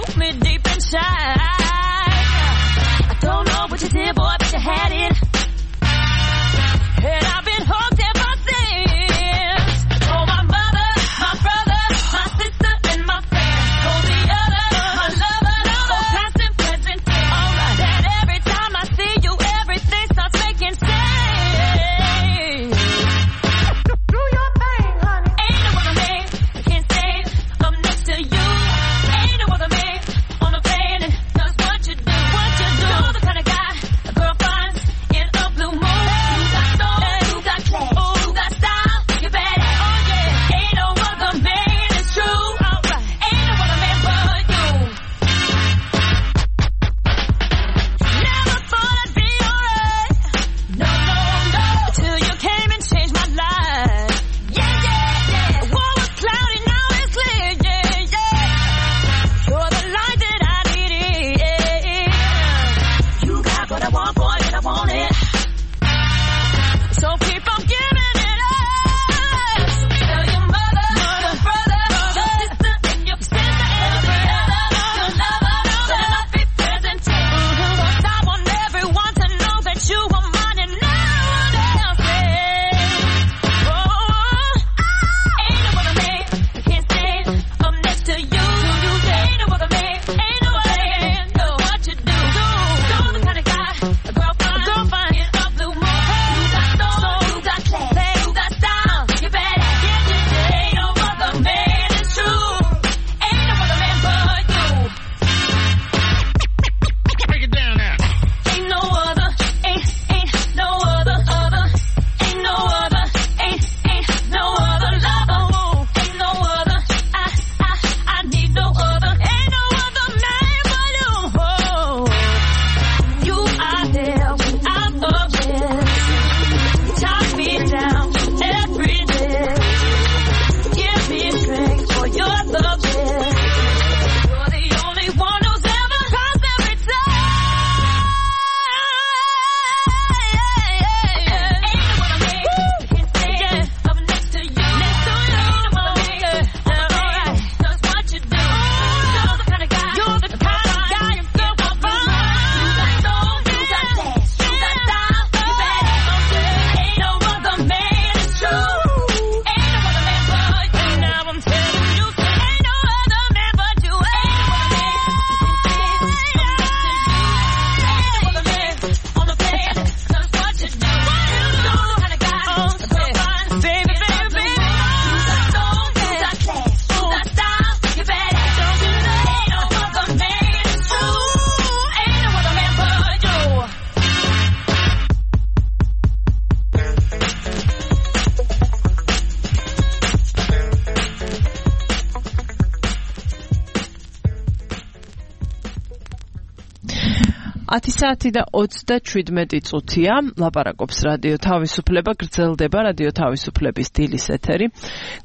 საათი და 37 წუთია, ლაპარაკობს რადიო თავისუფლება, გრძელდება რადიო თავისუფლების დილის ეთერი.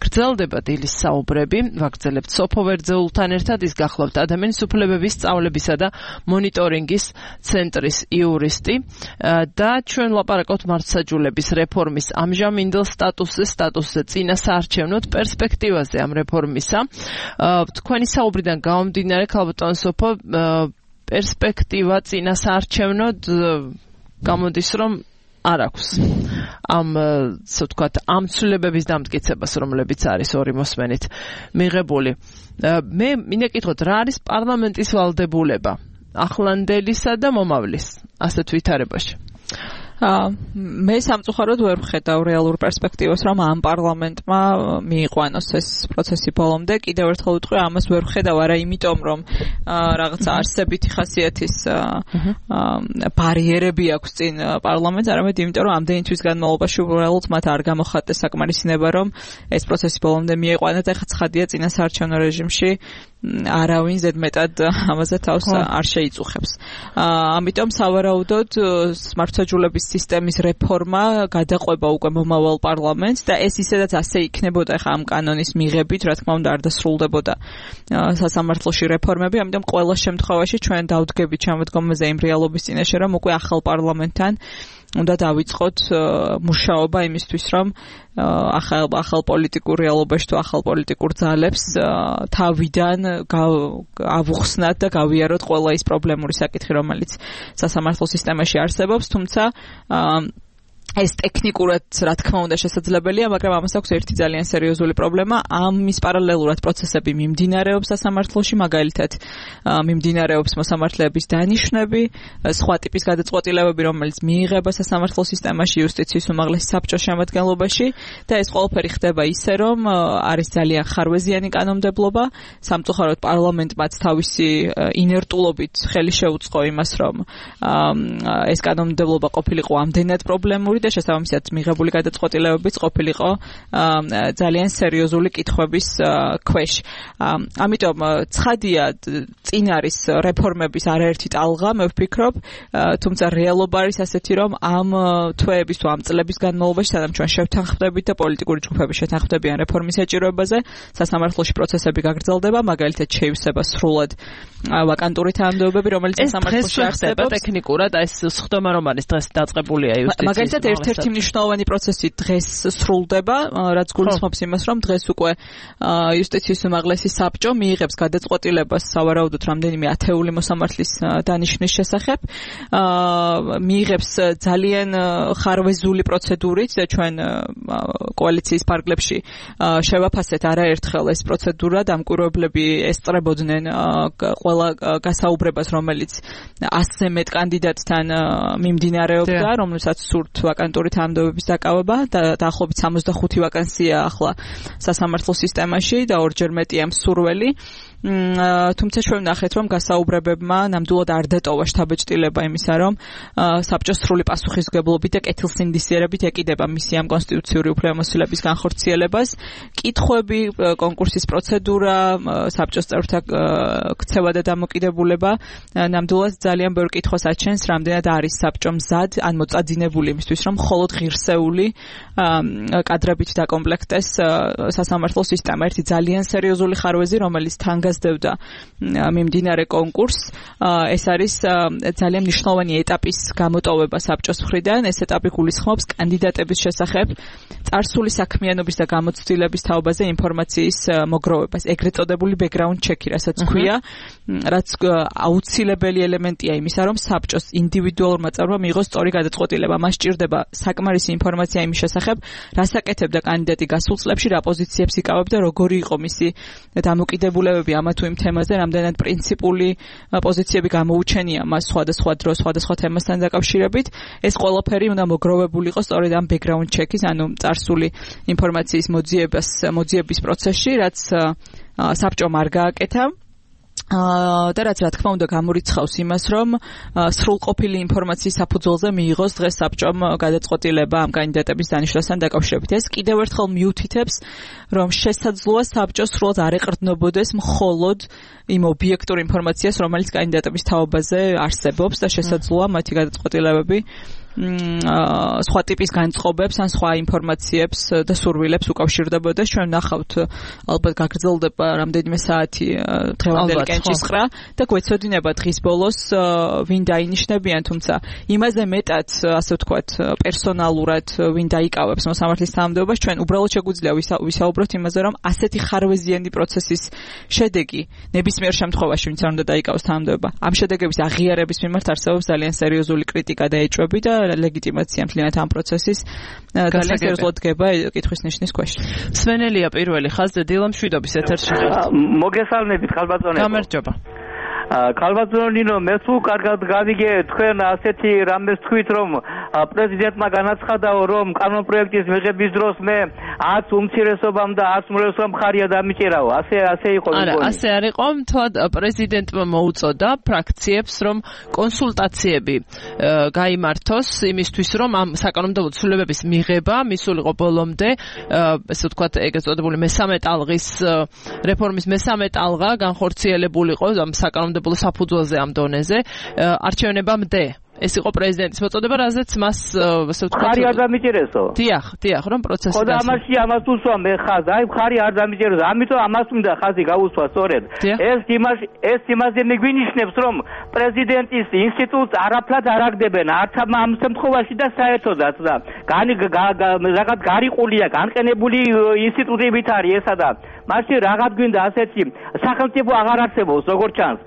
გრძელდება დილის საუბრები, ვაგრძელებთ სოფო ვერძეულთან ერთად, ის გახლავთ ადამიანის უფლებების სწავლებისა და მონიტორინგის ცენტრის იურისტი და ჩვენ ლაპარაკობთ მართლმსაჯულების რეფორმის ამჟამინდელ სტატუსზე, წინასაარჩევნოდ პერსპექტივაზე ამ რეფორმისა. თქვენი საუბრიდან გამომდინარე, ქალბატონ სოფო, პერსპექტივა წინასაარჩევნოდ გამოდის, რომ არ აქვს ამ, ასე ვთქვათ, ამ ცვლილებების დამტკიცებას, რომლებიც არის ორი მოსმენით მიღებული. მე მინდა კითხოთ, რა არის პარლამენტის ვალდებულება ახლანდელისა და მომავლის ასეთ ვითარებაში? მე სამწუხაროდ ვერ ვხედავ რეალურ პერსპექტივას, რომ ამ პარლამენტმა მიიყვანოს ეს პროცესი ბოლომდე. კიდევ ერთხელ ვიტყვი, ამას ვერ ვხედავ არა იმიტომ, რომ რაღაცა არსებითი ხასიათის ბარიერები აქვს წინ პარლამენტს, არამედ იმიტომ, რომ ამდენი თვის განმავლობაში უბრალოდ მათ არ გამოხატეს საკმარისინება, რომ ეს პროცესი ბოლომდე მიიყვანოს. ეხლა ცხადია წინასაარჩევნო რეჟიმში არავინ ზედმეტად ამაზე თავს არ შეიწუხებს. ამიტომ სავარაუდოდ მართლმსაჯულების სისტემის რეფორმა გადაყვება უკვე მომავალ პარლამენტს და ეს ისედაც ასე იქნებოდა ხა ამ კანონის მიღებით, რა თქმა უნდა არ დასრულდებოდა სასამართლოში რეფორმები, ამიტომ ყველა შემთხვევაში ჩვენ დავდგებით შემოდგომაზე იმ რეალობის წინაშე, რომ უკვე ახალ პარლამენტთან უნდა დავიწყოთ მუშაობა იმისთვის, რომ ახალ პოლიტიკურ რეალობაში თუ ახალ პოლიტიკურ ძალებს თავიდან ავუხსნათ და გავიაროთ ყველა ის პრობლემური საკითხი, რომელიც სასამართლო სისტემაში არსებობს, თუმცა ეს ტექნიკურად რა თქმა უნდა შესაძლებელია, მაგრამ ამას აქვს ერთი ძალიან სერიოზული პრობლემა. ამის პარალელურად პროცესები მიმდინარეობს სასამართლოში, მაგალითად მიმდინარეობს მოსამართლეების დანიშვნები, სხვა ტიპის გადაწყვეტილებები, რომელიც მიიღება სასამართლო სისტემაში იუსტიციის უმაღლესი საბჭოს შემადგენლობაში და ეს ყველაფერი ხდება ისე, რომ არის ძალიან ხარვეზიანი კანონმდებლობა. სამწუხაროდ პარლამენტმაც თავისი ინერტულობით ხელი შეუწყო იმას, რომ ეს კანონმდებლობა ყოფილიყო ამდენად პრობლემური და შესაბამისად მიღებული გადაწყვეტილებებიც ყოფილიყო ძალიან სერიოზული კითხვების ქვეშ. ამიტომ ცხადია წინ არის რეფორმების არაერთი ტალღა, მე ვფიქრობ, თუმცა რეალობა არის ასეთი, რომ ამ თვეების თუ ამ წლების განმავლობაში, სადაც ჩვენ შევთანხმდებით და პოლიტიკური ჯგუფები შეთანხმდებიან რეფორმის საჭიროებაზე, სასამართლოში პროცესები გაგრძელდება, მაგალითად შეივსება სრულად ვაკანტური თანამდებობები, რომელიც სასამართლოში არსებობს. ტექნიკურად ეს სხდომა რომ არის დღეს დაწყებულია იუსტიციის. მაგალითად ერთ-ერთი მნიშვნელოვანი პროცესი დღეს სრულდება, რაც გულისხმობს იმას, რომ დღეს უკვე იუსტიციის უმაღლესი საბჭო მიიღებს გადაწყვეტილებას სავარაუდოდ რამდენიმე ათეული მოსამართლის დანიშვნის შესახებ. მიიღებს ძალიან ხარვეზული პროცედურით და ჩვენ კოალიციის ფარგლებში შევაფასეთ არაერთხელ ეს პროცედურა, დამკვირვებლები ესწრებოდნენ ყველა გასაუბრებას, რომელიც 100-ზე მეტ კანდიდატთან მიმდინარეობდა, რომელსაც სურთ ვაკანტური თანამდებობების დაკავება და დაახლოებით 65 ვაკანსია ახლა სასამართლო სისტემაში და ორჯერ მეტია მსურველი. თუმცა ჩვენ ვნახეთ, რომ გასაუბრებებმა ნამდვილად არ დატოვა შთაბეჭდილება იმისა, რომ საბჭოს სრული პასუხისმგებლობით და კეთილსინდისიერებით ეკიდება მისი ამ კონსტიტუციური უფლებამოსილების განხორციელებას. კითხვები, კონკურსის პროცედურა, საბჭოს წევრთა ქცევა და დამოკიდებულება ნამდვილად ძალიან ბევრ კითხვას აჩენს, რამდენად არის საბჭო მზად ან მოწადინებული იმისთვის, რომ მხოლოდ ღირსეული კადრებით დაკომპლექტეს სასამართლო სისტემა. ერთი ძალიან სერიოზული ხარვეზი, რომელიც თან გასდევდა მიმდინარე კონკურსს. ეს არის ძალიან მნიშვნელოვანი ეტაპის გამოტოვება საბჭოს მხრიდან. ეს ეტაპი გულისხმობს კანდიდატების შესახებ წარსული საქმიანობის და გამოცდილების თაობაზე ინფორმაციის მოგროვებას, ეგრეთ წოდებული background check-ი, რასაც ქვია, რაც აუცილებელი ელემენტია იმისა, რომ საბჭოს ინდივიდუალურმა წევრმა მიიღოს სწორი გადაწყვეტილება. მას სჭირდება საკმარისი ინფორმაცია იმის შესახებ, რას აკეთებდა კანდიდატი გასულ წლებში, რა პოზიციებს იკავებდა, როგორი იყო მისი დამოკიდებულებები ამა თუ იმ თემაზე, რამდენად პრინციპული პოზიციები გამოუჩენია მას სხვადასხვა დროს, სხვადასხვა თემასთან დაკავშირებით. ეს ყველაფერი უნდა მოგროვებული იყოს სწორედ ამ background check-ის, ანუ წარსული ინფორმაციის მოძიების პროცესში, რაც საბჭომ არ გააკეთა. და რაც რა თქმა უნდა გამორიცხავს იმას, რომ სრულყოფილი ინფორმაციის საფუძველზე მიიღოს დღეს საბჭომ გადაწყვეტილება ამ კანდიდატების დანიშვნასთან დაკავშირებით. ეს კიდევ ერთხელ მიუთითებს, რომ შესაძლოა საბჭო სრულად არ ეყრდნობოდეს მხოლოდ იმ ობიექტურ ინფორმაციას, რომელიც კანდიდატების თაობაზე არსებობს და შესაძლოა მათი გადაწყვეტილებები სხვა ტიპის განწყობებს ან სხვა ინფორმაციებს და სურვილებს უკავშირდებოდა. ჩვენ ნახავთ, ალბათ გაგრძელდება რამდენიმე საათი დღევანდელი კენჭისყრა და გვეცოდინება დღის ბოლოს ვინ დაინიშნებიან, თუმცა იმაზე მეტად, ასე ვთქვათ, პერსონალურად ვინ დაიკავებს მოსამართლის თანამდებობას, ჩვენ უბრალოდ შეგვიძლია ვისაუბროთ იმაზე, რომ ასეთი ხარვეზიანი პროცესის შედეგი ნებისმიერ შემთხვევაში ვინც არ უნდა დაიკავოს თანამდებობა, ამ შედეგების აღიარების მიმართ არსებობს ძალიან სერიოზული კრიტიკა და ეჭვები და ლეგიტიმაცია მთლიანად ამ პროცესის ძალიან სერიოზულად დგება კითხვის ნიშნის ქვეშ. სვენელია პირველი ხაზზე დილა მშვიდობის ეთერში ხართ. მოგესალმებით ხალბატონებო. გამარჯობა. ქალბატონინო, მე თუ კარგად გავიგე თქვენ ასეთი რამეს თქვით, რომ პრეზიდენტმა განაცხადაო, რომ კანონპროექტის მიღების დროს მე 10 უმცირესობამ და 10 უმრავლესობამ ხარია დამიჭერაო. ასე იყო მგონი. არა, ასე არ იყო, მთლად პრეზიდენტმა მოუწოდა ფრაქციებს, რომ კონსულტაციები გაიმართოს იმისთვის, რომ ამ საკანონმდებლო ცვლილებების მიღება მისულიყო ბოლომდე, ესე ვთქვათ, ეგრეთ წოდებული მესამე ტალღის რეფორმის მესამე ტალღა განხორციელებულიყო ამ საკანონმდებლო საფუძველზე ამ დონეზე არჩევნებამდე. ეს იყო პრეზიდენტის მოწოდება, რაზეც მას ასე ვთქვათ, ხარი არ დამიჭერესო. დიახ, რომ პროცესი ხო და ამას უსვა მე ხაზ, აი ხარი არ დამიჭერესო, ამიტომ ამას უნდა ხაზი გაუსვა სწორედ. ეს იმაზე მიგვინიშნებს, რომ პრეზიდენტის ინსტიტუტს არაფრად არ აგდებენ, არც ამ შემთხვევაში და საერთოდაც და რაღაც გარიყულია, განყენებული ინსტიტუტებით არის ესა და მაშინ რაღაც გვინდა ასეთი სახელმწიფო აღარ არსებობს, როგორც ჩანს.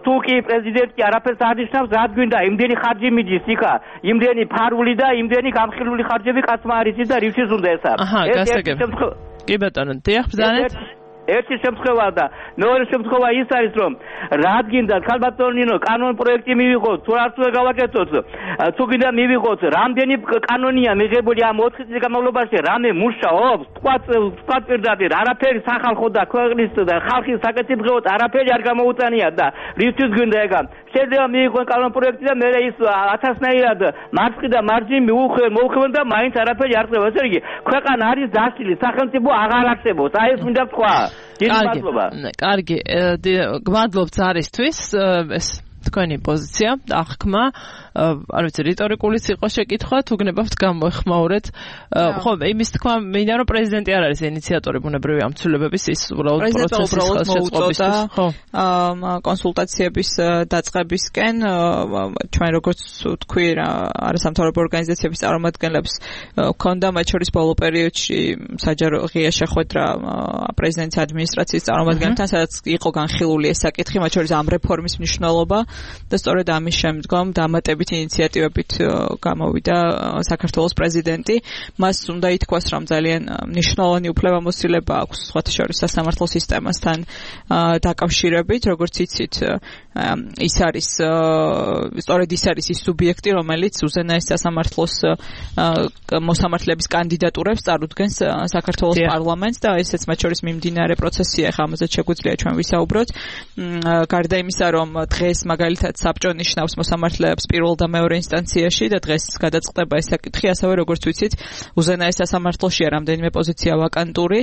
თუ კი პრეზიდენტი არაფერს არ ნიშნავს, რა გვინდა იმდენი ხარჯი მიდის იქა, იმდენი ფარული და იმდენი გამხილული ხარჯები კაცმა არ იცის და რითიც უნდა ეს არის. კი ბატონო, დიახ, ბრძანეთ. ერთი შემთხვევა და მეორე შემთხვევა ის არის, რომ რადგინდა ქალბატონინო კანონპროექტი მივიღოთ, თუ არ უნდა გავაკეთოთ, თუ გინდა მივიღოთ, რამდენი კანონია მიღებული ამ 4 წლის განმავლობაში, რამე მუშაობს, თქვა პირდაპირ, არაფერი სახალხო და ქვეყნის და ხალხის საკეთილდღეოდ არაფერი არ გამოუწანია და რითიც გინდა ეგა შეიძლება მიიღონ კანონპროექტი და მე ის 1000-ნაირად მარცხი და მარჯვნივ მოუხმენ და მაინც არაფერი არ ხდება. ესე იგი, ქვეყანა არის დაშლილი, სახელმწიფო აღარ არსებობს. აი ეს მინდა თქვა. დიდი მადლობა. კარგი, გმადლობ ზარისთვის. ეს თქვენი პოზიცია, აღქმა, არ ვიცი, რიტორიკულიც იყო შეკითხვა, თუ გნებავთ გამოეხმაურეთ. ხო, იმის თქვა მინდა რომ პრეზიდენტი არ არის ინიციატორი ბუნებრივი ამ ცვლილებების, ის უბრალოდ პროცესის ხელშეწყობისთვის, ხო. კონსულტაციების დაწყებისკენ ჩვენ როგორც თქვი, არასამთავრობო ორგანიზაციების წარმომადგენლებს ჰქონდა მათ შორის ბოლო პერიოდში საჯარო ღია შეხვედრა პრეზიდენტის ადმინისტრაციის წარმომადგენლებთან, სადაც იყო განხილული ეს საკითხი, მათ შორის ამ რეფორმის მნიშვნელობა და სწორედ ამის შემდგომ დამატებით ინიციატივებით გამოვიდა საქართველოს პრეზიდენტი. მას უნდა ითქვას, რომ ძალიან მნიშვნელოვანი უფლებამოსილება აქვს სხვათა შორის სასამართლო სისტემასთან დაკავშირებით, როგორც იცით, ის არის სწორედ ის არის ის სუბიექტი, რომელიც უზენაეს სასამართლოს მოსამართლეების კანდიდატურებს წარუდგენს საქართველოს პარლამენტს და ესეც მათ შორის მიმდინარე პროცესია, ხა ამაზე შეგვიძლია ჩვენ ვისაუბროთ. გარდა იმისა, რომ დღეს მაგალითად საბჭო ნიშნავს მოსამართლეებს პირველ და მეორე ინსტანციაში და დღეს გადაწყდება ეს საკითხი, ასევე როგორც ვიცით, უზენაეს სასამართლოშია რამდენიმე პოზიცია ვაკანტური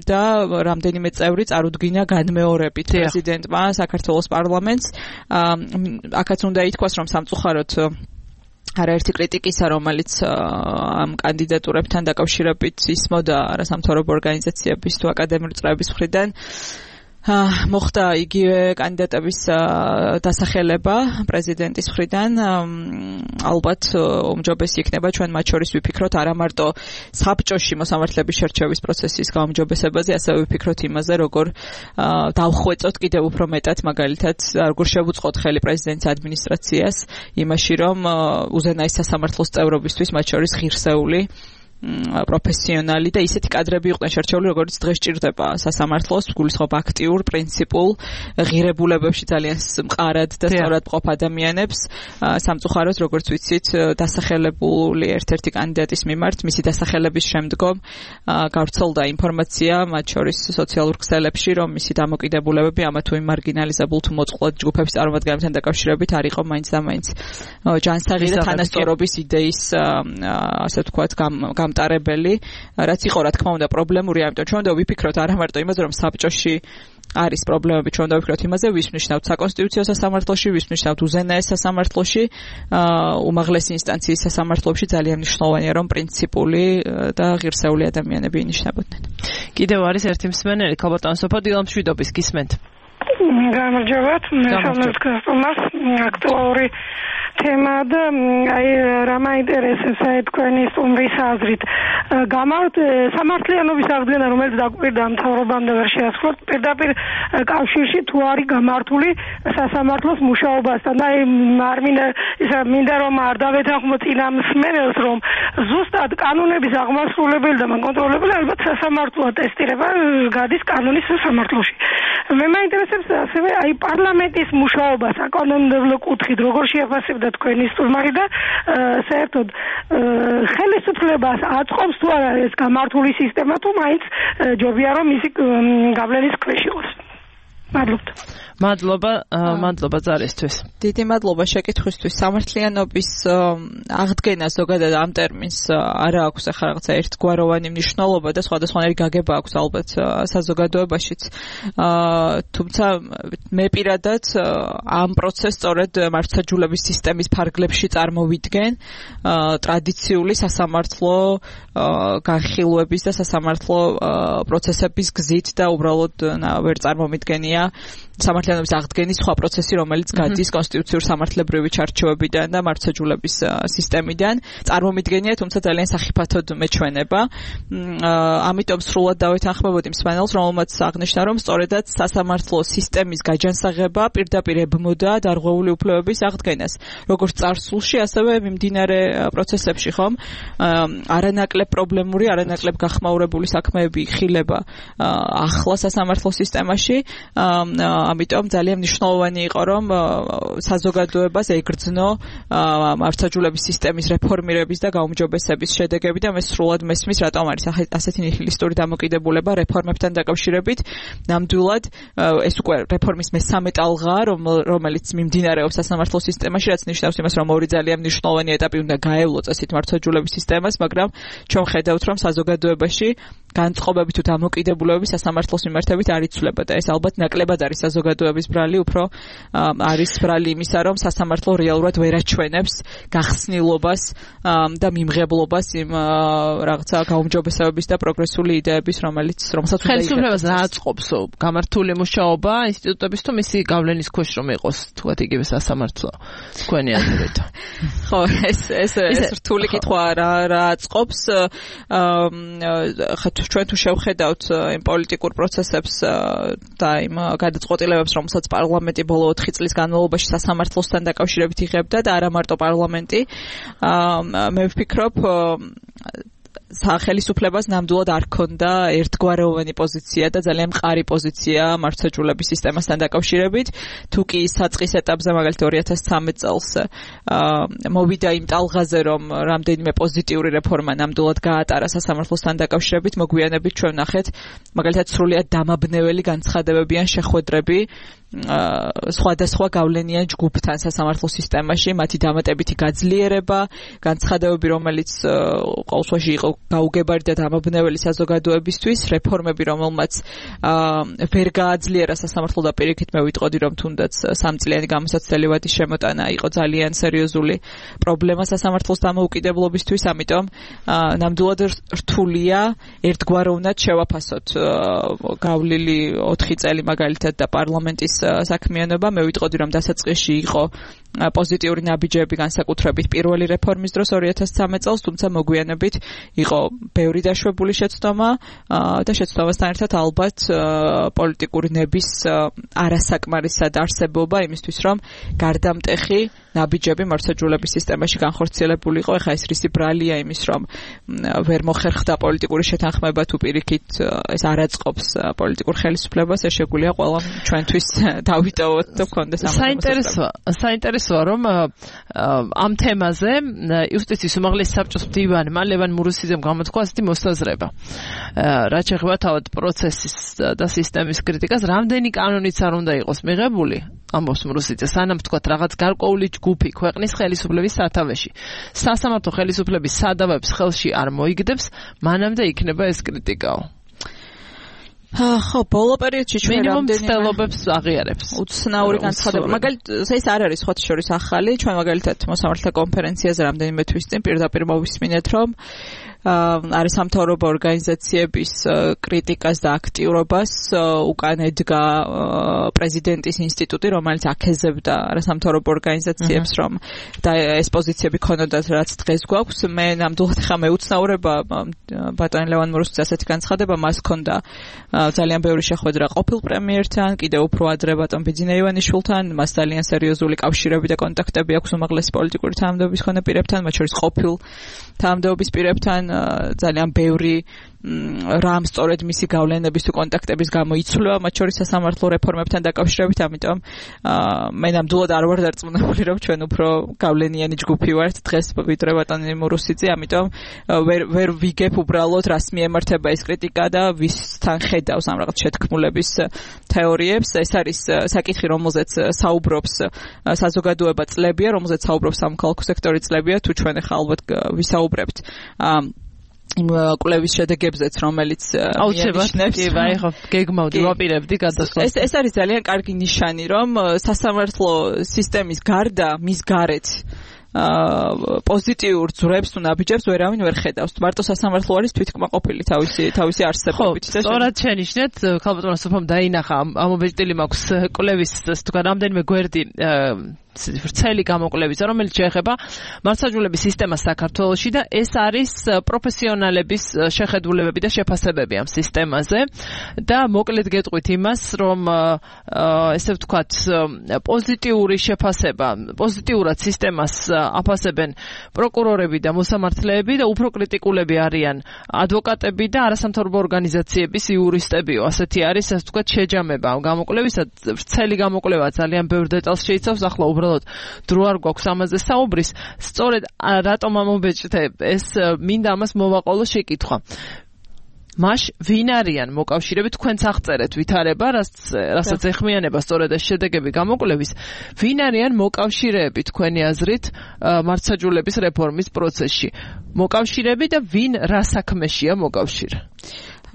და რამდენიმე წევრი წარუდგინა განმეორებით პრეზიდენტმა საქართველოს პარლამენტს. აქაც უნდა ითქვას, რომ სამწუხაროდ არაერთი კრიტიკისა, რომელიც ამ კანდიდატურებთან დაკავშირებით ისმოდა არასამთავრობო ორგანიზაციების თუ აკადემიური წრეების მხრიდან, მოხდა იგივე კანდიდატების დასახელება პრეზიდენტის მხრიდან. ალბათ უმჯობესი იქნება ჩვენ მათ შორის ვიფიქროთ არა მარტო საბჭოში მოსამართლეების შერჩევის პროცესის გაუმჯობესებაზე, ასევე ვიფიქროთ იმაზე, როგორ დავხვეწოთ კიდევ უფრო მეტად, მაგალითად, როგორ შევუწყოთ ხელი პრეზიდენტის ადმინისტრაციას იმაში, რომ უზენაეს სასამართლოს წევრობისთვის მათ შორის ღირსეული პროფესიონალი და ისეთი კადრები იყვნენ შერჩეული, როგორც დღეს ჭირდება სასამართლოს, გულისხმობ აქტიურ, პრინციპულ, ღირებულებებში ძალიან მყარად და სწორად მყოფ ადამიანებს. სამწუხაროდ, როგორც ვიცით, დასახელებული ერთ-ერთი კანდიდატის მიმართ, მისი დასახელების შემდგომ გავრცელდა ინფორმაცია, მათ შორის სოციალურ ქსელებში, რომ მისი დამოკიდებულებები ამა თუ იმ მარგინალიზებულ თუ მოწყვლად ჯგუფების წარმომადგენლებთან დაკავშირებით არ იყო მაინც და მაინც ჯანსაღი და თანასწორობის იდეის, ასე ვთქვათ, გამტარებელი, რაც იყო რა თქმა უნდა პრობლემური, ამიტომ ჩვენ უნდა ვიფიქროთ არა მარტო იმაზე, რომ საბჭოში არის პრობლემები, ჩვენ უნდა ვიფიქროთ იმაზე, ვის ნიშნავთ საკონსტიტუციო სასამართლოში, ვის ნიშნავთ უზენაეს სასამართლოში, უმაღლესი ინსტანციის სასამართლოში ძალიან მნიშვნელოვანია, რომ პრინციპული და ღირსეული ადამიანები ინიშნებოდნენ. კიდევ არის ერთი მსმენელი, ქალბატონ სოფო დილამშვიდობის, გისმენთ. გამარჯობათ, მე სამართლოს აქტუალური თემა და აი რა მაინტერესებს აი თქვენი სტუმრის აზრით. სამართლიანობის აღდგენა, რომელიც დაგვირდა მთავრობამდე ვერ შეასრულოთ, პირდაპირ კავშირში თუ არის გამართული სასამართლოს მუშაობასთან. და აი მინდა რომ არ დავეთანხმო წინა მსმენელს, რომ ზუსტად კანონების აღმასრულებელი და კონტროლებელი ალბათ სასამართლოა ტესტირება გადის კანონის სასამართლოში. მე მაინტერესებს ასევე აი პარლამენტის მუშაობა საკანონმდებლო კუთხით, როგორ შეაფასებდა თქვენი სტუმარი და საერთოდ ხელისუფლებას აწყობს თუ არა ეს გამართული სისტემა თუ მაინც ჯობია რომ ისი გავლენის ქვეშ იყოს. მადლობა ზარისთვის. დიდი მადლობა შეკითხვისთვის. სამართლიანობის აღდგენა ზოგადად ამ ტერმინს არ აქვს ახლა რაღაცა ერთგვაროვანი მნიშვნელობა და სხვადასხვანაირი გაგება აქვს ალბათ საზოგადოებაშიც. თუმცა მე პირადად ამ პროცესს სწორედ მართლმსაჯულების სისტემის ფარგლებში წარმოვიდგენ ტრადიციული სასამართლო განხილვების და სასამართლო პროცესების გზით და უბრალოდ ვერ წარმომიდგენია სამართლიანობის აღდგენის სხვა პროცესი, რომელიც გადის კონსტიტუციურ სამართლებრივი ჩარჩოებიდან და მართლმსაჯულების სისტემიდან. წარმომიდგენია, თუმცა ძალიან სახიფათოდ მეჩვენება. ამიტომ სრულად დავეთანხმებოდი მსმენელს, რომელმაც აღნიშნა, რომ სწორედაც სასამართლო სისტემის გაჯანსაღება პირდაპირ ებმოდა დარღვეული უფლებების აღდგენას, როგორც წარსულში, ასევე მიმდინარე პროცესებში, ხომ? არანაკლებ პრობლემური, არანაკლებ გახმაურებული საქმეები ხილება ახლა სასამართლო სისტემაში. ამიტომ ძალიან მნიშვნელოვანი იყო რომ საზოგადოებას ეგრძნო მართლმსაჯულების სისტემის რეფორმირების და გაუმჯობესების შედეგები და მე სრულად მესმის რატომ არის ასეთი ნიჰილისტური დამოკიდებულება რეფორმებთან დაკავშირებით. ნამდვილად ეს უკვე რეფორმის მესამე ტალღაა რომელიც მიმდინარეობს სასამართლო სისტემაში, რაც ნიშნავს იმას რომ ორი ძალიან მნიშვნელოვანი ეტაპი უნდა გაევლო წესით მართლმსაჯულების სისტემას, მაგრამ ჩვენ ხედავთ რომ საზოგადოებაში განწყობები თუ დამოკიდებულებები სასამართლოს მიმართებით არ იცვლება და ეს ალბათ ნაკლებად არის საზოგადოების ბრალი, უფრო არის ბრალი იმისა, რომ სასამართლო რეალურად ვერ აჩვენებს გახსნილობას და მიმღებლობას იმ რაღაცა გაუმჯობესებების და პროგრესული იდეების, რომელსაც უნდა ხელისუფლებას რა აწყობს გამართული მუშაობა ინსტიტუტების თუ მისი გავლენის ქვეშ რომ იყოს თქვათ იგივე სასამართლო თქვენი აზრით. ხო, ეს რთული კითხვა რა აწყობს. ჩვენ თუ შევხედავთ იმ პოლიტიკურ პროცესებს და იმ გადაწყვეტილებებს, რომელსაც პარლამენტი ბოლო 4 წლის განმავლობაში სასამართლოსთან დაკავშირებით იღებდა და არა მარტო პარლამენტი, მე ვფიქრობ სახელისუფლებას ნამდვილად არ ქონდა ერთგვაროვანი პოზიცია და ძალიან მყარი პოზიცია მართლმსაჯულების სისტემასთან დაკავშირებით. თუ კი საწყის ეტაპზე მაგალითად 2013 წელს მოვიდა იმ ტალღაზე, რომ რამდენიმე პოზიტიური რეფორმა ნამდვილად გაატარა სასამართლოსთან დაკავშირებით, მოგვიანებით ჩვენ ნახეთ მაგალითად სრულიად დამაბნეველი განცხადებები ან შეხვედრები სხვადასხვა გავლენიან ჯგუფთან სასამართლო სისტემაში, მათი დამატებითი გაძლიერება, განცხადებები, რომელიც ყოველ შემთხვევაში იყო გაუგებარი და დამაბნეველი საზოგადოებისთვის, რეფორმები, რომელმაც ვერ გააძლიერა სასამართლო და პირიქით მე ვიტყოდი, რომ თუნდაც 3 წლიანი გამოსაცდელი ვადის შემოტანა იყო ძალიან სერიოზული პრობლემა სასამართლოს დამოუკიდებლობისთვის, ამიტომ ნამდვილად რთულია ერთგვაროვნად შევაფასოთ გავლილი 4 წელი მაგალითად და პარლამენტის საქმიანობა. მე ვიტყოდი, რომ დასაწყისში იყო პოზიტიური ნაბიჯები განსაკუთრებით პირველი რეფორმის დროს 2013 წელს, თუმცა მოგვიანებით იყო ბევრი დაშვებული შეცდომა და შეცდომასთან ერთად ალბათ პოლიტიკური ნების არასაკმარისად არსებობა იმისთვის, რომ გარდამტეხი ნაბიჯები მართლმსაჯულების სისტემაში განხორციელებულიყო. ეხლა ეს რისი ბრალია იმის, რომ ვერ მოხერხდა პოლიტიკური შეთანხმება თუ პირიქით ეს არ აწყობს პოლიტიკურ ხელისუფლებას, ეს შეგვიძლია ყველა ჩვენთვის დავიტოვოთ და გქონდეს საინტერესოა რომ ამ თემაზე იუსტიციის უმაღლესი საბჭოს მდივანმა ლევან მურუსიძემ გამოთქვა ასეთი მოსაზრება. რაც შეეხება თავად პროცესის და სისტემის კრიტიკას, რამდენი კანონიც არ უნდა იყოს მიღებული, ამბობს მურუსიძე, სანამ თქვათ რაღაც გარკვეული ჯგუფი ქვეყნის ხელისუფლების სათავეში სასამართლო ხელისუფლების სადავებს ხელში არ მოიგდებს, მანამდე იქნება ეს კრიტიკაო. ხო, ბოლო პერიოდში ჩვენ რამდენი ცდილობებს აღიარებს. უცნაური განცხადება. მაგალითად, ეს არ არის ხოთი შორის ახალი, ჩვენ მაგალითად მოსამართლე კონფერენციაზე რამდენიმე თვის წინ პირდაპირ მოვისმინეთ, რომ არის სამთავრობო ორგანიზაციების კრიტიკას და აქტიურობას უკან ედგა პრეზიდენტის ინსტიტუტი, რომელიც აქეზებდა არასამთავრობო ორგანიზაციებს, რომ და ეს პოზიციები ქონოდათ, რაც დღეს გვაქვს. მე ნამდვილად ხა მეუცნაურება ბატონ ლევან მურუსიძის ასეთი განცხადება, მას ქონდა ძალიან ბევრი შეხვედრა ყოფილ პრემიერთან, კიდევ უფრო ადრე ბატონ ბიძინა ივანიშვილთან, მას ძალიან სერიოზული კავშირები და კონტაქტები აქვს უმაღლესი პოლიტიკური თანამდებობის მქონე პირებთან, მათ შორის ყოფილ თანამდებობის პირებთან, ძალიან ბევრი რამ სწორედ მისი გავლენების თუ კონტაქტების გამო იცვლება, მათ შორის სასამართლო რეფორმებთან დაკავშირებით, ამიტომ მე ნამდვილად არ ვარ დარწმუნებული, რომ ჩვენ უფრო გავლენიანი ჯგუფი ვართ დღეს ვიდრე ბატონი მურუსიძე, ამიტომ ვერ ვიგებ უბრალოდ რას მიემართება ეს კრიტიკა და ვისთან ხედავს ამ რაღაც შეთქმულების თეორიებს. ეს არის საკითხი, რომელზეც საუბრობს საზოგადოება წლებია, რომელზეც საუბრობს სამოქალაქო სექტორი წლებია, თუ ჩვენ ახლა ალბათ ვისაუბრებთ იმ კვლევის შედეგებზეც, რომელიც აუცილებლად ხო გეგმავდი ვაპირებდი გადასვლას. ეს არის ძალიან კარგი ნიშანი, რომ სასამართლო სისტემის გარდა მის გარეთ პოზიტიურ ძვრებს თუ ნაბიჯებს ვერავინ ვერ ხედავს. მარტო სასამართლო არის თვითკმაყოფილი თავისი არსებობით. სწორად შენიშნეთ, ქალბატონო სოფამ დაინახა, ამობეჭდილი მაქვს კვლევის თქვა რამდენიმე გვერდი ვრცელი გამოკვლევისა, რომელიც შეეხება მართლმსაჯულების სისტემას საქართველოში და ეს არის პროფესიონალების შეხედულებები და შეფასებები ამ სისტემაზე და მოკლედ გეტყვით იმას, რომ ესე ვთქვათ, პოზიტიური შეფასება, პოზიტიურად სისტემას აფასებენ პროკურორები და მოსამართლეები და უფრო კრიტიკულები არიან ადვოკატები და არასამთავრობო ორგანიზაციების იურისტებიო. ასეთი არის, ასე ვთქვათ, შეჯამება ამ გამოკვლევისა. ვრცელი გამოკვლევა ძალიან ბევრ დეტალს შეიცავს, ახლა უბრალოდ დრო არ გვაქვს ამაზე საუბრის. სწორედ რატომ ამობეჭდე, ეს მინდა ამას მოვაყოლო შეკითხვა. მაშ ვინ არიან მოკავშირეები, თქვენც აღწერეთ ვითარება, რასაც ეხმიანება სწორედ ეს შედეგები გამოკვლევის, ვინ არიან მოკავშირეები თქვენი აზრით მართლმსაჯულების რეფორმის პროცესში? მოკავშირეები და ვინ რა საქმეშია მოკავშირე?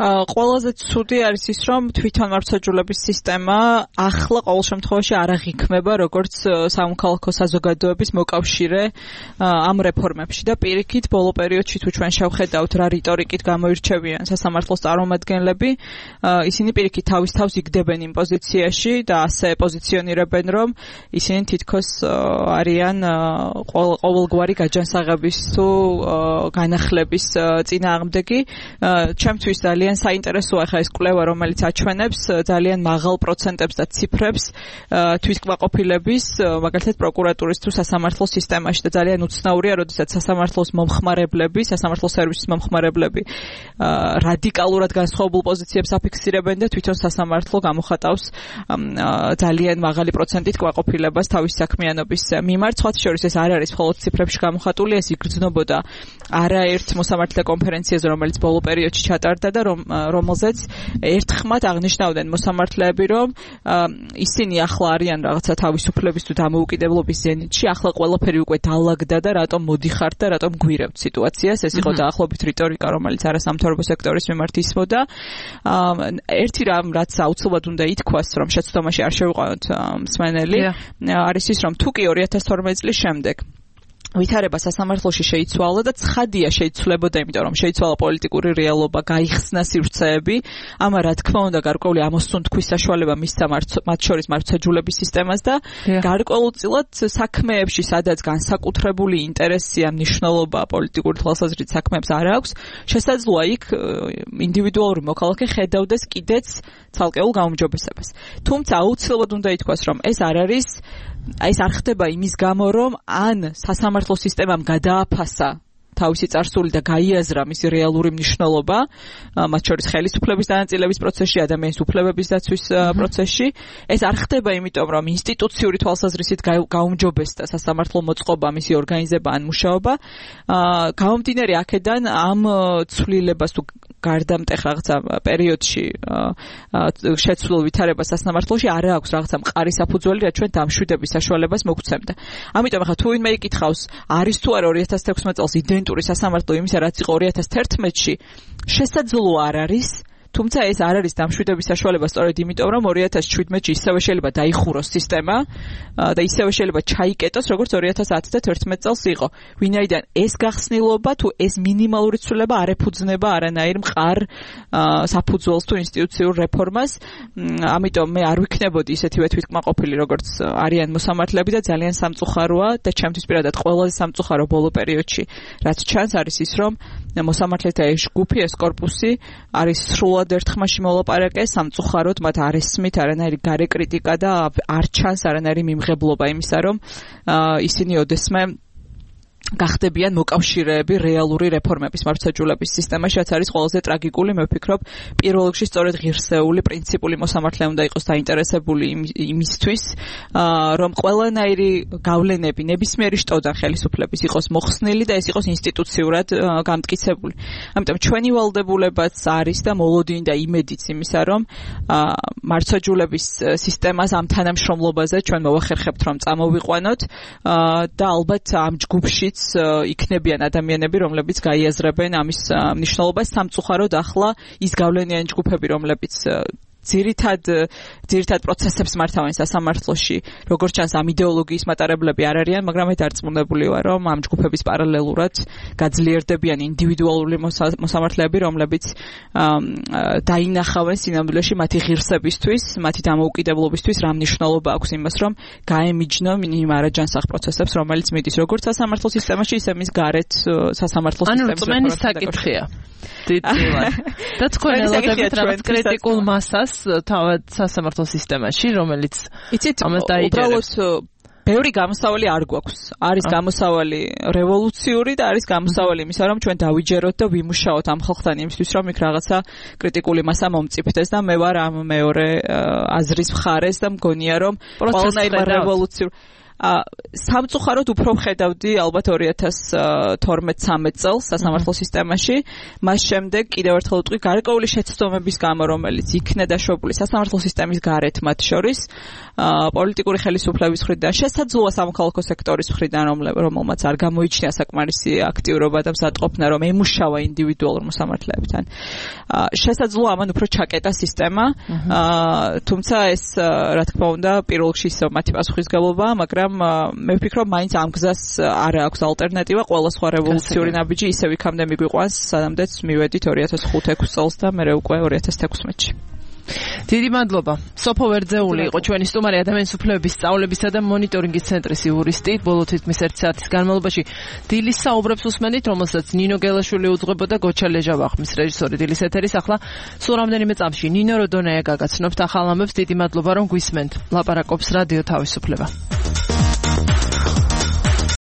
ყველაზე ცუდი არის ის, რომ თვითონ მართლმსაჯულების სისტემა ახლა ყოველ შემთხვევაში არ აღიქმება როგორც სამოქალაქო საზოგადოების მოკავშირე ამ რეფორმებში და პირიქით ბოლო პერიოდში თუ ჩვენ შევხედავთ რა რიტორიკით გამოირჩევიან სასამართლოს წარმომადგენლები, ისინი პირიქით თავის თავს იგდებენ იმ პოზიციაში და ასე პოზიციონირებენ, რომ ისინი თითქოს არიან ყოველგვარი გაჯანსაღების თუ განახლების წინააღმდეგი. ჩემთვის ძალიან საინტერესოა ხა ეს კვლევა, რომელიც აჩვენებს ძალიან მაღალ პროცენტებს და ციფრებს თვითკმაყოფილების, მაგალითად პროკურატურის თუ სასამართლო სისტემაში და ძალიან უცნაურია, როდესაც სასამართლოს მომხმარებლები, სასამართლო სერვისის მომხმარებლები რადიკალურად განსხვავებულ პოზიციებს აფიქსირებენ და თვითონ სასამართლო გამოხატავს ძალიან მაღალი პროცენტით კმაყოფილებას თავის საქმიანობის მიმართ. სხვათა შორის ეს არ არის მხოლოდ ციფრებში გამოხატული, ეს იგრძნობოდა არაერთ მოსამართლე კონფერენციაზე, რომელიც ბოლო პერიოდში ჩატარდა და რომელზეც ერთხმად აღნიშნავდნენ მოსამართლეები, რომ ისინი ახლა არიან რაღაცა თავისუფლების თუ დამოუკიდებლობის ზენიტში, ახლა ყველაფერი უკვე დაალაგდა და რატომ მოდიხართ და რატომ გვირევთ სიტუაციას. ეს იყო დაახლოებით რიტორიკა, რომელიც არასამთავრობო სექტორის მიმართ ისმოდა. ერთი რამ, რაც აუცილებლად უნდა ითქვას, რომ შეცდომაში არ შევიყვანოთ მსმენელი, არის ის, რომ თუ კი 2012 წლის შემდეგ ვითარება სასამართლოში შეიცვალა და ცხადია შეიცვლებოდა, იმიტომ რომ შეიცვალა პოლიტიკური რეალობა, გაიხსნა სივრცეები, ამა რა თქმა უნდა გარკვეული ამოსუნთქვის საშუალება მისცა მათ შორის მართლმსაჯულების სისტემას და გარკვეულწილად საქმეებში, სადაც განსაკუთრებული ინტერესია, მნიშვნელობა პოლიტიკური თვალსაზრისით საქმეებს არ აქვს, შესაძლოა იქ ინდივიდუალური მოქალაქე ხედავდეს კიდეც ცალკეულ გაუმჯობესებას. თუმცა აუცილებლად უნდა ითქვას, რომ ეს არ არის ეს არ ხდება იმის გამო, რომ ან სასამართლო სისტემამ გადააფასა თავისი წარსული და გაიაზრა მისი რეალური მნიშვნელობა, მათ შორის ხელისუფლების დანაწილების პროცესში, ადამიანის უფლებების დაცვის პროცესში. ეს არ ხდება იმიტომ, რომ ინსტიტუციური თვალსაზრისით გაუმჯობესდა სასამართლო მოწყობა, მისი ორგანიზება ან მუშაობა. გამომდინარე აქედან ამ ცვლილებას თუ გარდამტეხ რაღაცა პერიოდში შეცვლილ ვითარებას სასამართლოში არ აქვს რაღაცა მყარი საფუძველი, რაც ჩვენ დამშვიდების საშუალებას მოგცემდა. ამიტომ ახლა თუ ვინმე იკითხავს, არის თუ არა 2016 წელს იდენტური სასამართლო იმისა, რაც იყო 2011-ში, შესაძლოა არ არის. თუმცა ეს არ არის დამშვიდების საშუალება სწორედ იმიტომ, რომ 2017-ში ისევე შეიძლება დაიხუროს სისტემა და ისევე შეიძლება ჩაიკეტოს, როგორც 2010 და 2011 წელს იყო. ვინაიდან ეს გახსნილობა თუ ეს მინიმალური ცვლილება არ ეფუძნება არანაირ მყარ საფუძველს თუ ინსტიტუციურ რეფორმას. ამიტომ მე არ ვიქნებოდი ისეთივე თვითკმაყოფილი, როგორც არიან მოსამართლეები და ძალიან სამწუხაროა და ჩემთვის პირადად ყველაზე სამწუხარო ბოლო პერიოდში, რაც ჩანს არის ის, რომ მოსამართლეთა ეს ჯგუფი, ეს კორპუსი არის სრულად ერთხმაში მოლაპარაკე, სამწუხაროდ მათ არ ესმით არანაირი გარე კრიტიკა და არ ჩანს არანაირი მიმღებლობა იმისა, რომ ისინი ოდესმე გახდებიან მოკავშირეები რეალური რეფორმების მართლმსაჯულების სისტემაში, რაც არის ყველაზე ტრაგიკული. მე ვფიქრობ, პირველ რიგში სწორედ ღირსეული, პრინციპული მოსამართლე უნდა იყოს დაინტერესებული იმისთვის, რომ ყველანაირი გავლენები ნებისმიერი შტოდან ხელისუფლების იყოს მოხსნილი და ეს იყოს ინსტიტუციურად გამტკიცებული. ამიტომ ჩვენი ვალდებულებაც არის და მოლოდინი და იმედიც იმისა, რომ მართლმსაჯულების სისტემას ამ თანამშრომლობაზე ჩვენ მოვახერხებთ, რომ წამოვიყვანოთ და ალბათ ამ ჯგუფში იქნებიან ადამიანები, რომლებიც გაიაზრებენ ამის მნიშვნელობას. სამწუხაროდ ახლა ის გავლენიანი ჯგუფები, რომლებიც ძირითად პროცესებს მართავენ სასამართლოში, როგორც ჩანს ამ იდეოლოგიის მატარებლები არ არიან, მაგრამ მე დარწმუნებული ვარ, რომ ამ ჯგუფების პარალელურად გაძლიერდებიან ინდივიდუალური მოსამართლეები, რომლებიც დაინახავენ სინამდვილეში მათი ღირსებისთვის, მათი დამოუკიდებლობისთვის რა მნიშვნელობა აქვს იმას, რომ გაემიჯნონ იმ არაჯანსაღ პროცესებს, რომელიც მიდის როგორც სასამართლო სისტემაში, ისე მის გარეთ სასამართლო სისტემაში. ანუ წმენის საკითხია. და თქვენ ელოდებთ რაღაც კრიტიკულ მასას თავად სასამართლო სისტემაში, რომელიც ამას დაიჯერებს. ბევრი გამოსავალი არ გვაქვს. არის გამოსავალი რევოლუციური და არის გამოსავალი იმისა, რომ ჩვენ დავიჯეროთ და ვიმუშაოთ ამ ხალხთან იმისთვის, რომ იქ რაღაცა კრიტიკული მასა მომწიფდეს და მე ვარ ამ მეორე აზრის მხარეს და მგონია, რომ ყველანაირ რევოლუციურ სამწუხაროდ უფრო ვხედავდი ალბათ 2012-13 წელს სასამართლო სისტემაში, მას შემდეგ კიდევ ერთხელ ვიტყვი გარკვეული შეცდომების გამო, რომელიც იქნა დაშვებული სასამართლო სისტემის გარეთ მათ შორის, პოლიტიკური ხელისუფლების მხრიდან, შესაძლოა სამოქალაქო სექტორის მხრიდან, რომელმაც არ გამოიჩინა საკმარისი აქტიურობა და მზადყოფნა, რომ ემუშავა ინდივიდუალურ მოსამართლეებთან. შესაძლოა ამან უფრო ჩაკეტა სისტემა, თუმცა ეს რა თქმა უნდა პირველ რიგში მათი პასუხისგებლობაა, მაგრამ მე ვფიქრობ, მაინც ამ გზას არ აქვს ალტერნატივა, ყველა სხვა რევოლუციური ნაბიჯი ისევ იქამდე მიგვიყვანს, სანამდეც მივედით 2005-6 წელს და მე უკვე 2016-ში. დიდი მადლობა. სოფო ვერძეული იყო ჩვენი სტუმარი, ადამიანის უფლებების სწავლებისა და მონიტორინგის ცენტრის იურისტი. ბოლო თითქმის 1 საათის განმავლობაში დილის საუბრებს უსმენით, რომელსაც ნინო გელაშვილი უძღვებოდა, გოჩა ლეჟავა ხმის რეჟისორი დილის ეთერის. ახლა სულ რამდენიმე წამში ნინო როდონეა გაგაცნობთ ახალ ამბებს. დიდი მადლობა რომ გვისმენთ. ლაპარაკობს რადიო თავისუფლება.